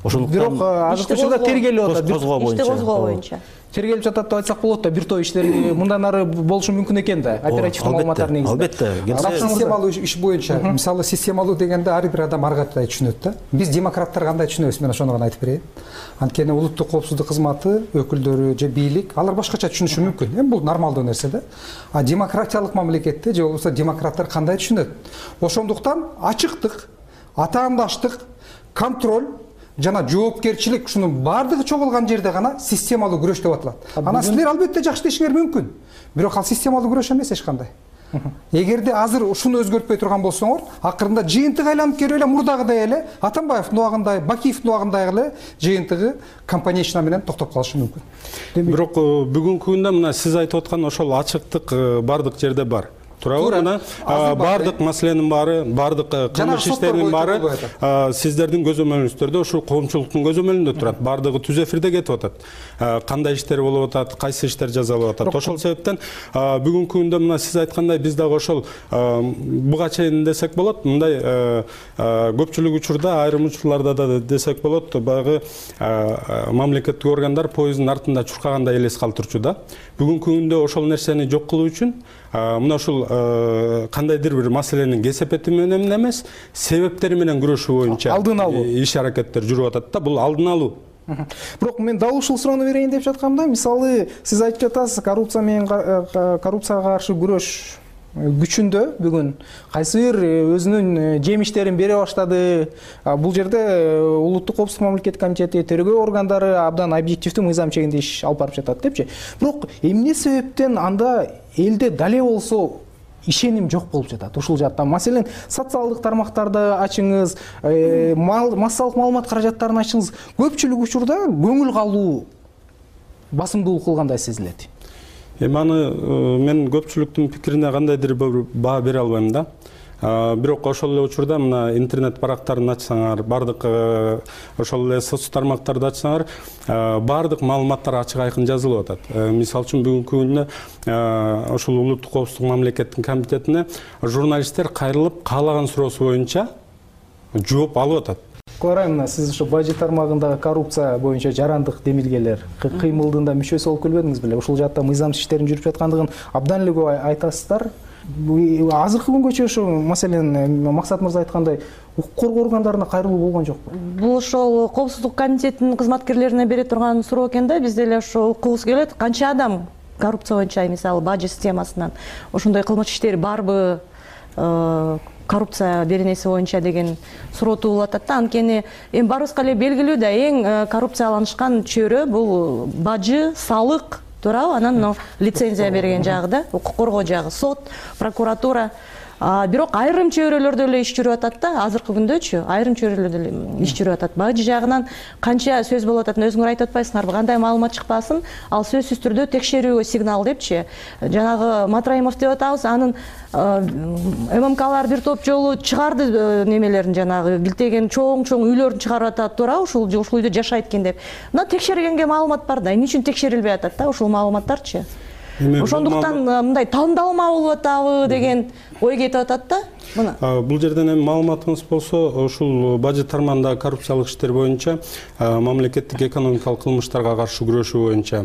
Ошондуктан бирок азыркы учурда тергелип атат. Ишти козгоо боюнча. Тергелип жатат деп айтсак болот да, бир топ иштер мындан ары болушу мүмкүн экен да, оперативдик маалыматтар негизинде. Албетте. Системалуу иш боюнча, мисалы системалуу дегенде ар бир адам ар кандай түшүнөт да. Биз демократтар кандай түшүнөбүз, мен ошону гана айтып берейин. Анткени улуттук коопсуздук кызматы өкүлдөрү же бийлик, алар башкача түшүнүшү мүмкүн. Эми бул нормалдуу нерсе да. А демократиялык мамлекетте же болбосо демократтар кандай түшүнөт? Ошондуктан ачыктык, атаандаштык, контроль жана жоопкерчилик ушунун баардыгы чогулган жерде гана системалуу күрөш деп атылат. Анан силер албетте жакшы дешиңер мүмкүн. Бирок ал системалуу күрөш эмес эч кандай. Эгерде азыр ушуну өзгөртпөй турган болсоңор, акырында жыйынтык айланып келип эле мурдагыдай эле Атамбаевдин убагындай, Бакиевдин убагындай эле жыйынтыгы компанейчина менен токтоп калышы мүмкүн. Бирок бүгүнкү күндө мына сиз айтып аткан ошол ачыктык бардык жерде бар. Туурабы? Мына бардык маселенин баары, бардык кылмыш иштеринин баары сиздердин көзөмөлүңүздөрдө ушул коомчулуктун көзөмөлүндө турат. Бардыгы түз эфирде кетип атат. Кандай иштер болуп атат, кайсы иштер жазалып атат. Ошол себептен бүгүнкү күндө мына сиз айткандай биз дагы ошол буга чейин десек болот, мындай көпчүлүк учурда, айрым учурларда да десек болот, баягы мамлекеттик органдар поезддин артында чуркагандай элес калтырчу да. Бүгүнкү күндө ошол нерсени жок кылуу үчүн мына ушул кандайдыр бир маселенин кесепети менен эмес, себептери менен күрөшүү боюнча алдын алуу иш аракеттер жүрүп атат да. Бул алдын алуу. Бирок мен дал ушул суроону берейин деп жаткамда, мисалы сиз айтып жатасыз, коррупцияга каршы күрөш күчүндө бүгүн кайсы бир өзүнүн жемиштерин бере баштады. Бул жерде улуттук коопсуздук мамлекеттик комитети, тергөө органдары абдан объективдүү мыйзам чегинде иш алып барып жатат депчи. Бирок эмне себептен анда элде дале болсо ишеним жок болуп жатат ушул жакта? Маселен, социалдык тармактарды ачыңыз, массалык маалымат каражаттарын ачыңыз. Көпчүлүк учурда көңүл калуу басымдуулук кылгандай сезилет. Эми аны мен көпчүлүктүн пикирине кандайдыр бир баа бере албайм да. Бирок ошол эле учурда мына интернет барактарын ачсаңар, бардык ошол эле соц тармактарды ачсаңар, бардык маалыматтар ачык айкын жазылып атат. Мисалы үчүн бүгүнкү күндө ошол улуттук коопсуздук мамлекеттик комитетине журналисттер кайрылып каалаган суроосу боюнча жооп алып атат. Клара айымына, сиз ушу бажы тармагындагы коррупция боюнча жарандык демилгелер кыймылдын да мүчөсү болуп келбедиңиз беле? Ушул жакта мыйзамсыз иштердин жүрүп жаткандыгын абдан эле көп айтасыздар. Азыркы күнгөчө ушу маселен Максат мырза айткандай укук коргоо органдарына кайрылуу болгон жокпу? Бул ошол коопсуздук комитетинин кызматкерлерине бере турган суроо экен да. Биз деле ошо укугубуз келет. Канча адам коррупция боюнча, мисалы бажы системасынан ошондой кылмыш иштери барбы, коррупция беренеси боюнча деген суроо туулуп атат да. Анткени эми баарыбызга эле белгилүү да, эң коррупцияланышкан чөйрө бул бажы, салык, туурабы? Анан лицензия берген жагы да, укук коргоо жагы, сот, прокуратура. Бирок айрым чөйрөлөрдө эле иш жүрүп атат да, азыркы күндөчү айрым чөйрөлөрдө эле иш жүрүп атат. Бажы жагынан канча сөз болуп ататын өзүңөр айтып атпайсыңарбы? Кандай маалымат чыкпасын, ал сөзсүз түрдө текшерүүгө сигнал депчи. Жанагы Матраимов деп атабыз, анын ММКлар бир топ жолу чыгарды немелерин, жанагы билтеген чоң үйлөрүн чыгарып атат, туурабы? Ушул үйдө жашайт экен деп. Мына текшергенге маалымат бар да, эмне үчүн текшерилбей атат да ушул маалыматтарчы? Ошондуктан мындай тандалма болуп атабы деген ой кетип атат да. Мына бул жерден эми маалыматыңыз болсо, ушул бажы тармагындагы коррупциялык иштер боюнча мамлекеттик экономикалык кылмыштарга каршы күрөшүү боюнча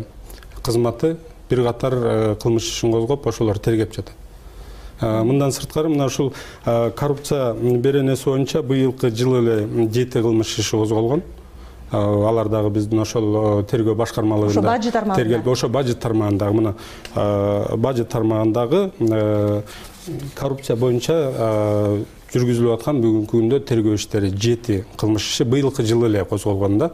кызматы бир катар кылмыш ишин козгоп, ошолор тергеп жатат. Мындан сырткары мына ушул коррупция беренеси боюнча быйылкы жылы эле 7 кылмыш иши козголгон. Алар дагы биздин ошол тергөө башкармалыгында тергелип, ошо бажы тармагындагы мына бажы тармагындагы коррупция боюнча жүргүзүлүп аткан бүгүнкү күндө тергөө иштери 7 кылмыш иши быйылкы жылы эле козголгон да.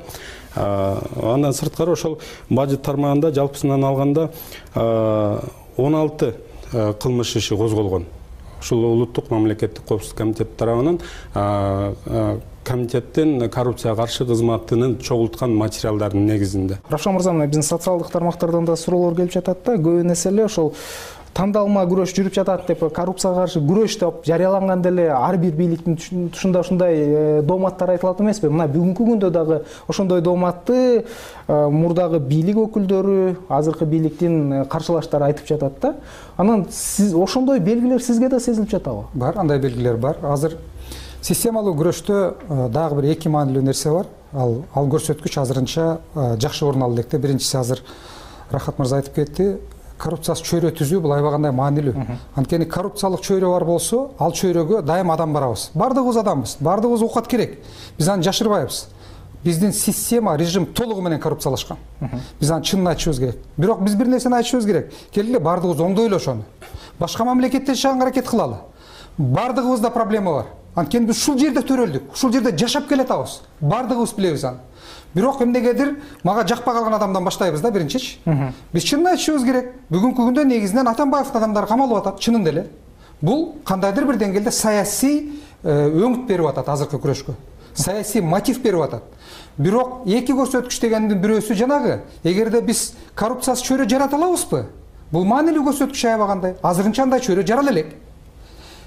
Андан сырткары ошол бажы тармагында жалпысынан алганда 16 кылмыш иши козголгон. Ушул улуттук мамлекеттик коопсуздук комитети тарабынан комитеттин коррупцияга каршы кызматынын чогулткан материалдардын негизинде. Равшан мырза, биздин социалдык тармактардан да суроолор келип жатат да, көбүн эсе ошол тандалма күрөш жүрүп жатат деп, коррупцияга каршы күрөш деп жарыяланганда эле ар бир бийликтин тушунда ушундай дооматтар айтылат эмеспи? Мына бүгүнкү күндө дагы ошондой дооматты мурдагы бийлик өкүлдөрү, азыркы бийликтин каршылаштары айтып жатат да. Анан сиз ошондой белгилер сизге да сезилип жатабы? Бар, андай белгилер бар. Азыр системалуу күрөштө дагы бир эки маанилүү нерсе бар. Ал көрсөткүч азырынча жакшы орун алып электе. Биринчиси, азыр Рахат мырза айтып кетти, коррупциясыз чөйрө түзүү бул аябагандай маанилүү. Анткени коррупциялык чөйрө бар болсо, ал чөйрөгө дайым адам барабыз. Бардыгыбыз адамбыз, бардыгыбыз оокат керек. Биз аны жашырбайбыз. Биздин система, режим толугу менен коррупциялашкан. Биз аны чынын айтышыбыз керек. Бирок биз бир нерсени айтышыбыз керек. Келгиле бардыгыбыз оңдойлу ошону. Башка мамлекетте жашаганга аракет кылалы. Бардыгыбызда проблема бар. Анткени биз ушул жерде төрөлдүк, ушул жерде жашап келатабыз. Бардыгыбыз билебиз аны. Бирок эмнегедир мага жакпай калган адамдан баштайбыз да биринчичи. Биз чынын айтышыбыз керек. Бүгүнкү күндө негизинен Атамбаевдин адамдары камалып атат, чынын деле. Бул кандайдыр бир деңгээлде саясий өңүт берип атат азыркы күрөшкө. Саясий мотив берип атат. Бирок эки көрсөткүч дегендин бирөөсү жанагы, эгерде биз коррупциясыз чөйрө жарата алабызбы? Бул маанилүү көрсөткүч аябагандай. Азырынча андай чөйрө жарала элек.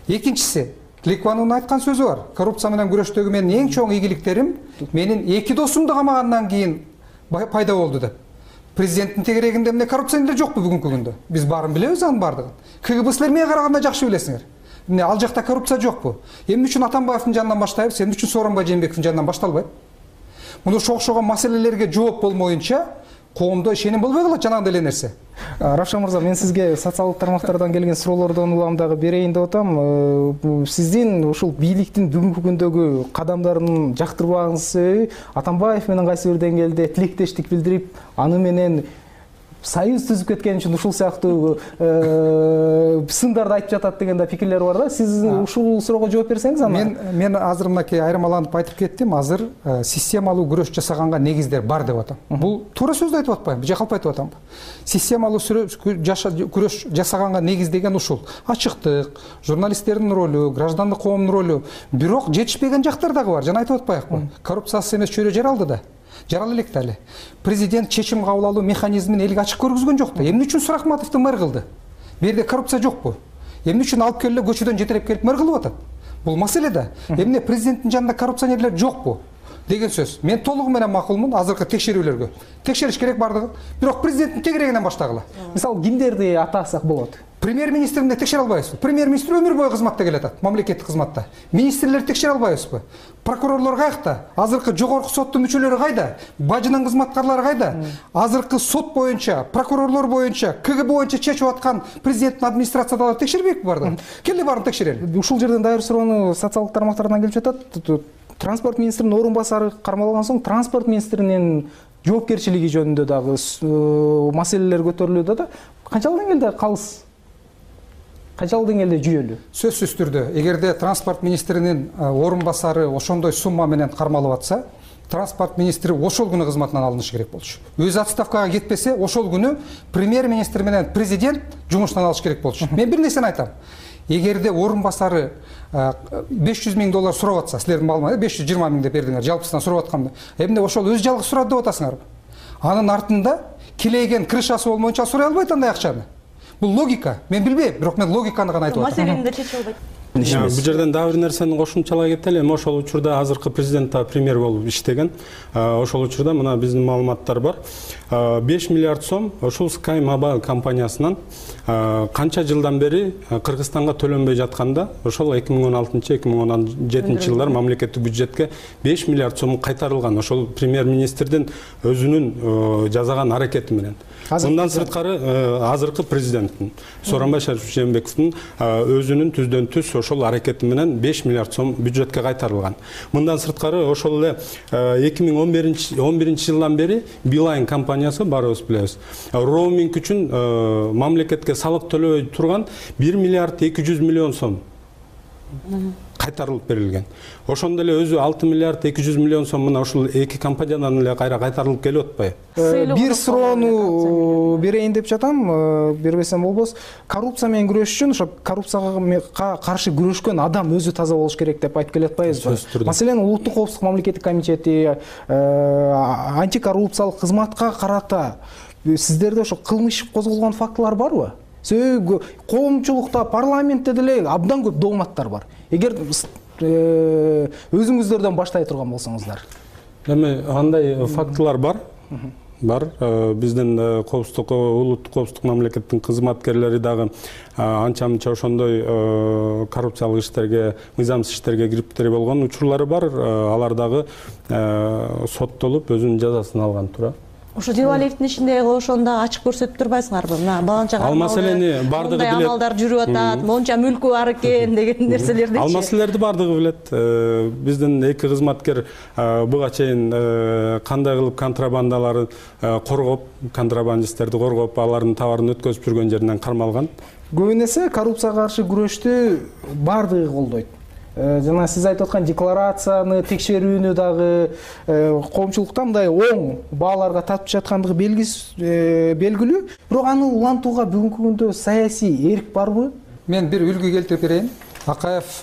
Экинчиси, Кликванын айткан сөзү бар. Коррупция менен күрөштөгү менин эң чоң ийгиликтерим менин эки досумду камагандан кийин пайда болду деп. Президенттин тегерегинде эмне коррупция эле жокпу бүгүнкү күндө? Биз баарын билебиз анын баардыгын. КГБ-силер эмнеге караганда жакшы билесиңер. Эмне ал жакта коррупция жокпу? Эмне үчүн Атамбаевдин жанынан баштайбыз, эмне үчүн Сооронбай Жээнбековдин жанынан башталбайт? Муну окшогон маселелерге жооп болмоюнча коомдо ишеним болбой калат жанагындай эле нерсе. Равшан мырза, мен сизге социалдык тармактардан келген суроолордон улам дагы берейин деп атам. Сиздин ушул бийликтин бүгүнкү күндөгү кадамдарын жактырбагыңыз, Атамбаев менен кайсы бир деңгээлде тилектештик билдирип, аны менен союз түзүп кеткен үчүн ушул сыяктуу сындарды айтып жатат деген да пикирлер бар да. Сиз ушул суроого жооп берсеңиз аны. Мен азыр мынакей айырмаланып айтып кеттим. Азыр системалуу күрөш жасаганга негиздер бар деп атам. Бул туура сөздү айтып атпайм, жакалп айтып атам. Системалуу күрөш жасаганга негиз деген ушул. Ачыктык, журналисттердин ролу, граждандык коомдун ролу. Бирок жетишпеген жактар дагы бар. Жана айтып атпайбы? Коррупциясыз эмес чөйрө жаралды да. Жарала элек да эле. Президент чечим кабыл алуу механизмин элге ачык көргөзгөн жок да. Эмне үчүн Сурахматовду мэр кылды? Бу жерде коррупция жокпу? Эмне үчүн алып келип көчөдөн жетелеп келип мэр кылып атат? Бул маселе да. Эмне президенттин жанында коррупционерлер жокпу? Деген сөз. Мен толугу менен макулмун азыркы текшерүүлөргө. Текшериш керек бардыгы. Бирок президенттин тегерегинен баштагыла. Мисалы кимдерди атасак болот? Премьер министрди текшере албайбызбы? Премьер министр өмүр бою кызматта келатат, мамлекеттик кызматта. Министрлерди текшере албайбызбы? Прокурорлор каякта? Азыркы жогорку соттун мүчөлөрү кайда? Бажынын кызматкарлары кайда? Азыркы сот боюнча, прокурорлор боюнча, КГБ боюнча чечип аткан президенттин администрациядагы текшербейбизби бардыгын? Келе барын текшерели. Ушул жерден дайыр суроону социалдык тармактардан келип жатат. Транспорт министринин орун басары кармалган соң транспорт министринин жоопкерчилиги жөнүндө дагы маселелер көтөрүлүүдө да. Канчалык деңгээлде калыс? Канчалык деңгээлде жүйөлүү? Сөзсүз түрдө, эгерде транспорт министринин орун басары ошондой сумма менен кармалып атса, транспорт министри ошол күнү кызматынан алынышы керек болчу. Өзү отставкага кетпесе, ошол күнү премьер министр менен президент жумуштан алыш керек болчу. Мен бир нерсени айтам. Эгерде орун басары $500,000 сурап атса, силердин маалымат 520,000 деп бердиңер, жалпысынан сурап атканда, эмне ошол өз жалгыз сурат деп атасыңарбы? Анын артында килейген крышасы болмоюнча сурай албайт андай акчаны. Бул логика. Мен билбейм, бирок мен логиканы гана айтып атам. Маселени да чече албайт. Бул жерден дагы бир нерсени кошумчалай кетели. Эми ошол учурда азыркы президент да премьер болуп иштеген. Ошол учурда мына биздин маалыматтар бар. 5 миллиард сом ошол Sky Mobile компаниясынан канча жылдан бери Кыргызстанга төлөнбөй жатканда, ошол 2016-2017 жылдар мамлекеттик бюджетке 5 миллиард сом кайтарылган. Ошол премьер министрдин өзүнүн жасаган аракети менен. Мындан сырткары азыркы президенттин Сооронбай Жээнбековдун өзүнүн түздөн түз ошол аракети менен 5 миллиард сом бюджетке кайтарылган. Мындан сырткары ошол эле 2011 жылдан бери Билайн компаниясы баарыбыз билебиз. Роуминг үчүн мамлекетке салык төлөбөй турган 1 миллиард 200 миллион сом кайтарылып берилген. Ошондо эле өзү 6 миллиард 200 миллион сом мына ушул эки компаниядан эле кайра кайтарылып келип атпайбы? Бир суроону берейин деп жатам, бербесем болбос. Коррупция менен күрөш үчүн ошо коррупцияга каршы күрөшкөн адам өзү таза болуш керек деп айтып келе атпайбызбы? Маселен, Улуттук коопсуздук мамлекеттик комитети, антикоррупциялык кызматка карата сиздерде ошо кылмыш козголгон фактылар барбы? Себеби коомчулукта, парламентте деле абдан көп дооматтар бар. Эгер өзүңүздөрдөн баштай турган болсоңуздар. Эми андай фактылар бар. Бар. Биздин улуттук коопсуздук мамлекеттин кызматкерлери дагы анча-мынча ошондой коррупциялык иштерге, мыйзамсыз иштерге кириптери болгон учурлары бар. Алар дагы соттолуп өзүнүн жазасын алган тура. Ошо Дилалиевдин ишинде ошондо ачык көрсөтүп турбайсыңарбы? Мына баланча ал маселени бардыгы билет. Амалдар жүрүп атат, монча мүлкү бар экен деген нерселерди. Ал маселелерди бардыгы билет. Биздин эки кызматкер буга чейин кандай кылып контрабандаларды коргоп, контрабандисттерди коргоп, алардын товарын өткөзүп жүргөн жеринен кармалган. Көбүн эсе коррупцияга каршы күрөштү бардыгы колдойт. Жана сиз айтып аткан декларацияны текшерүүнү дагы коомчулукта мындай оң бааларга татып жаткандыгы белгилүү. Бирок аны улантууга бүгүнкү күндө саясий эрк барбы? Мен бир үлгү келтирип берейин. Акаев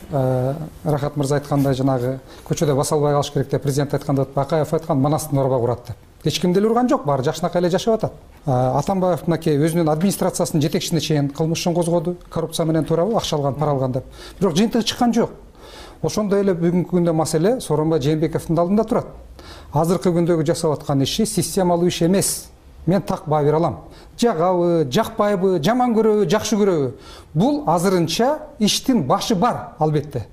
Рахат мырза айткандай жанагы көчөдө баса албай калыш керек деп президент айтканда, Акаев айткан Манастын орба курат деп. Эч ким деле урган жок, баары жакшынакай эле жашап атат. Атамбаев мынакей өзүнүн администрациясынын жетекчисине чейин кылмыш ишин козгоду, коррупция менен туурабы, акча алган, пара алган деп. Бирок жыйынтыгы чыккан жок. Ошондой эле бүгүнкү күндө маселе Сооронбай Жээнбековдун алдында турат. Азыркы күндөгү жасап аткан иши системалуу иш эмес. Мен так баа бере алам. Жагабы, жакпайбы, жаман көрөбү, жакшы көрөбү. Бул азырынча иштин башы бар, албетте.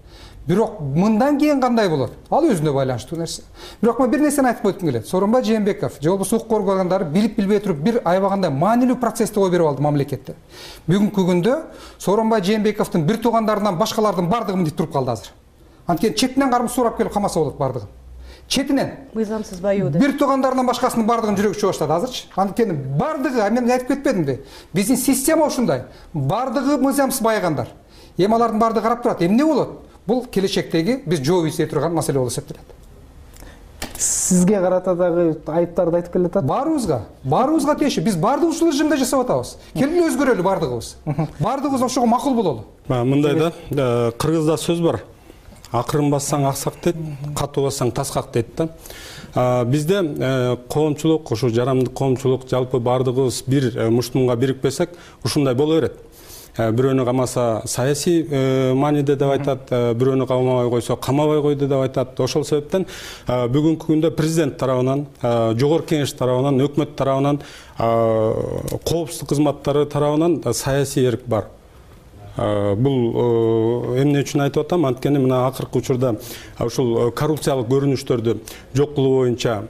Бирок мындан кийин кандай болот? Ал өзүнө байланыштуу нерсе. Бирок мен бир нерсени айтып койгум келет. Сооронбай Жээнбеков же болбосо укук органдары билип билбей туруп бир аябагандай маанилүү процессти ой берип алды мамлекетте. Бүгүнкү күндө Сооронбай Жээнбековдун бир туугандарынан башкалардын бардыгы мынтип туруп калды азыр. Анткени четинен кармыз сурап келип камаса болот бардыгын. Четинен. Мыйзамсыз баюу деп. Бир туугандарынан башкасынын бардыгын жүрөгү чыга баштады азырчы. Анткени бардыгы, мен айтып кетпедимби? Биздин система ушундай. Бардыгы мыйзамсыз байыгандар. Эми алардын бардыгы карап турат. Эмне болот? Бул келечектеги биз жооп издей турган маселе болуп эсептелет. Сизге карата дагы айыптарды айтып келе атат. Баарыбызга тиеши. Биз бардыгыбыз ушул режимде жашап атабыз. Келгиле өзгөрөлү бардыгыбыз. Бардыгыбыз ошого макул бололу. Мындай да, кыргызда сөз бар. Акырын бассаң аксак дейт, катуу бассаң таскак дейт да. Бизде коомчулук, ушу жарандык коомчулук жалпы бардыгыбыз бир муштумга бирикпесек, ушундай боло берет. бирөөнү камаса саясий мааниде деп айтат, бирөөнү камабай койсо камабай койду деп айтат. Ошол себептен бүгүнкү күндө президент тарабынан, жогорку кеңеш тарабынан, өкмөт тарабынан, коопсуздук кызматтары тарабынан саясий эрк бар. Бул эмне үчүн айтып атам? Анткени мына акыркы учурда ушул коррупциялык көрүнүштөрдү жок кылуу боюнча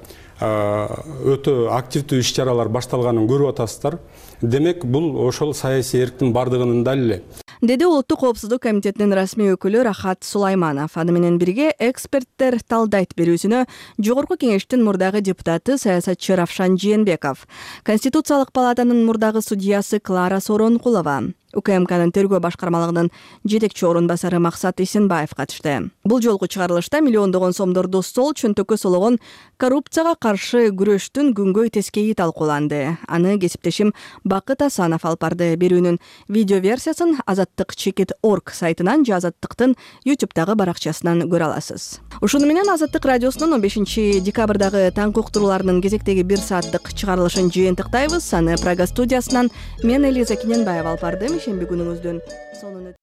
өтө активдүү иш-чаралар башталганын көрүп атасыздар. Демек, бул ошол саясий эрктин бардыгынын далили, деди Улуттук коопсуздук комитетинин расмий өкүлү Рахат Сулайманов. Аны менен бирге эксперттер талдайт берүүсүнө жогорку кеңештин мурдагы депутаты саясатчы Равшан Жээнбеков, Конституциялык палатанын мурдагы судьясы Клара Соронкулова, УКМКнын тергөө башкармалыгынын жетекчи орун басары Максат Исенбаев катышты. Бул жолку чыгарылышта миллиондогон сомдорду сол чөнтөккө сологон коррупцияга каршы күрөштүн күнгөй тескейи талкууланды. Аны кесиптешим Бакыт Асанов алып барды. Берүүнүн видео версиясын Азаттык.org сайтынан же Азаттыктын YouTube'дагы баракчасынан көрө аласыз. Ушуну менен Азаттык радиосунун 15 декабрдагы таңкы уктурууларынын кезектеги 1 сааттык чыгарылышын жыйынтыктайбыз. Аны Прага студиясынан мен Элиза Кененбаева алып бардым. Шемби күнүңүздүн сонун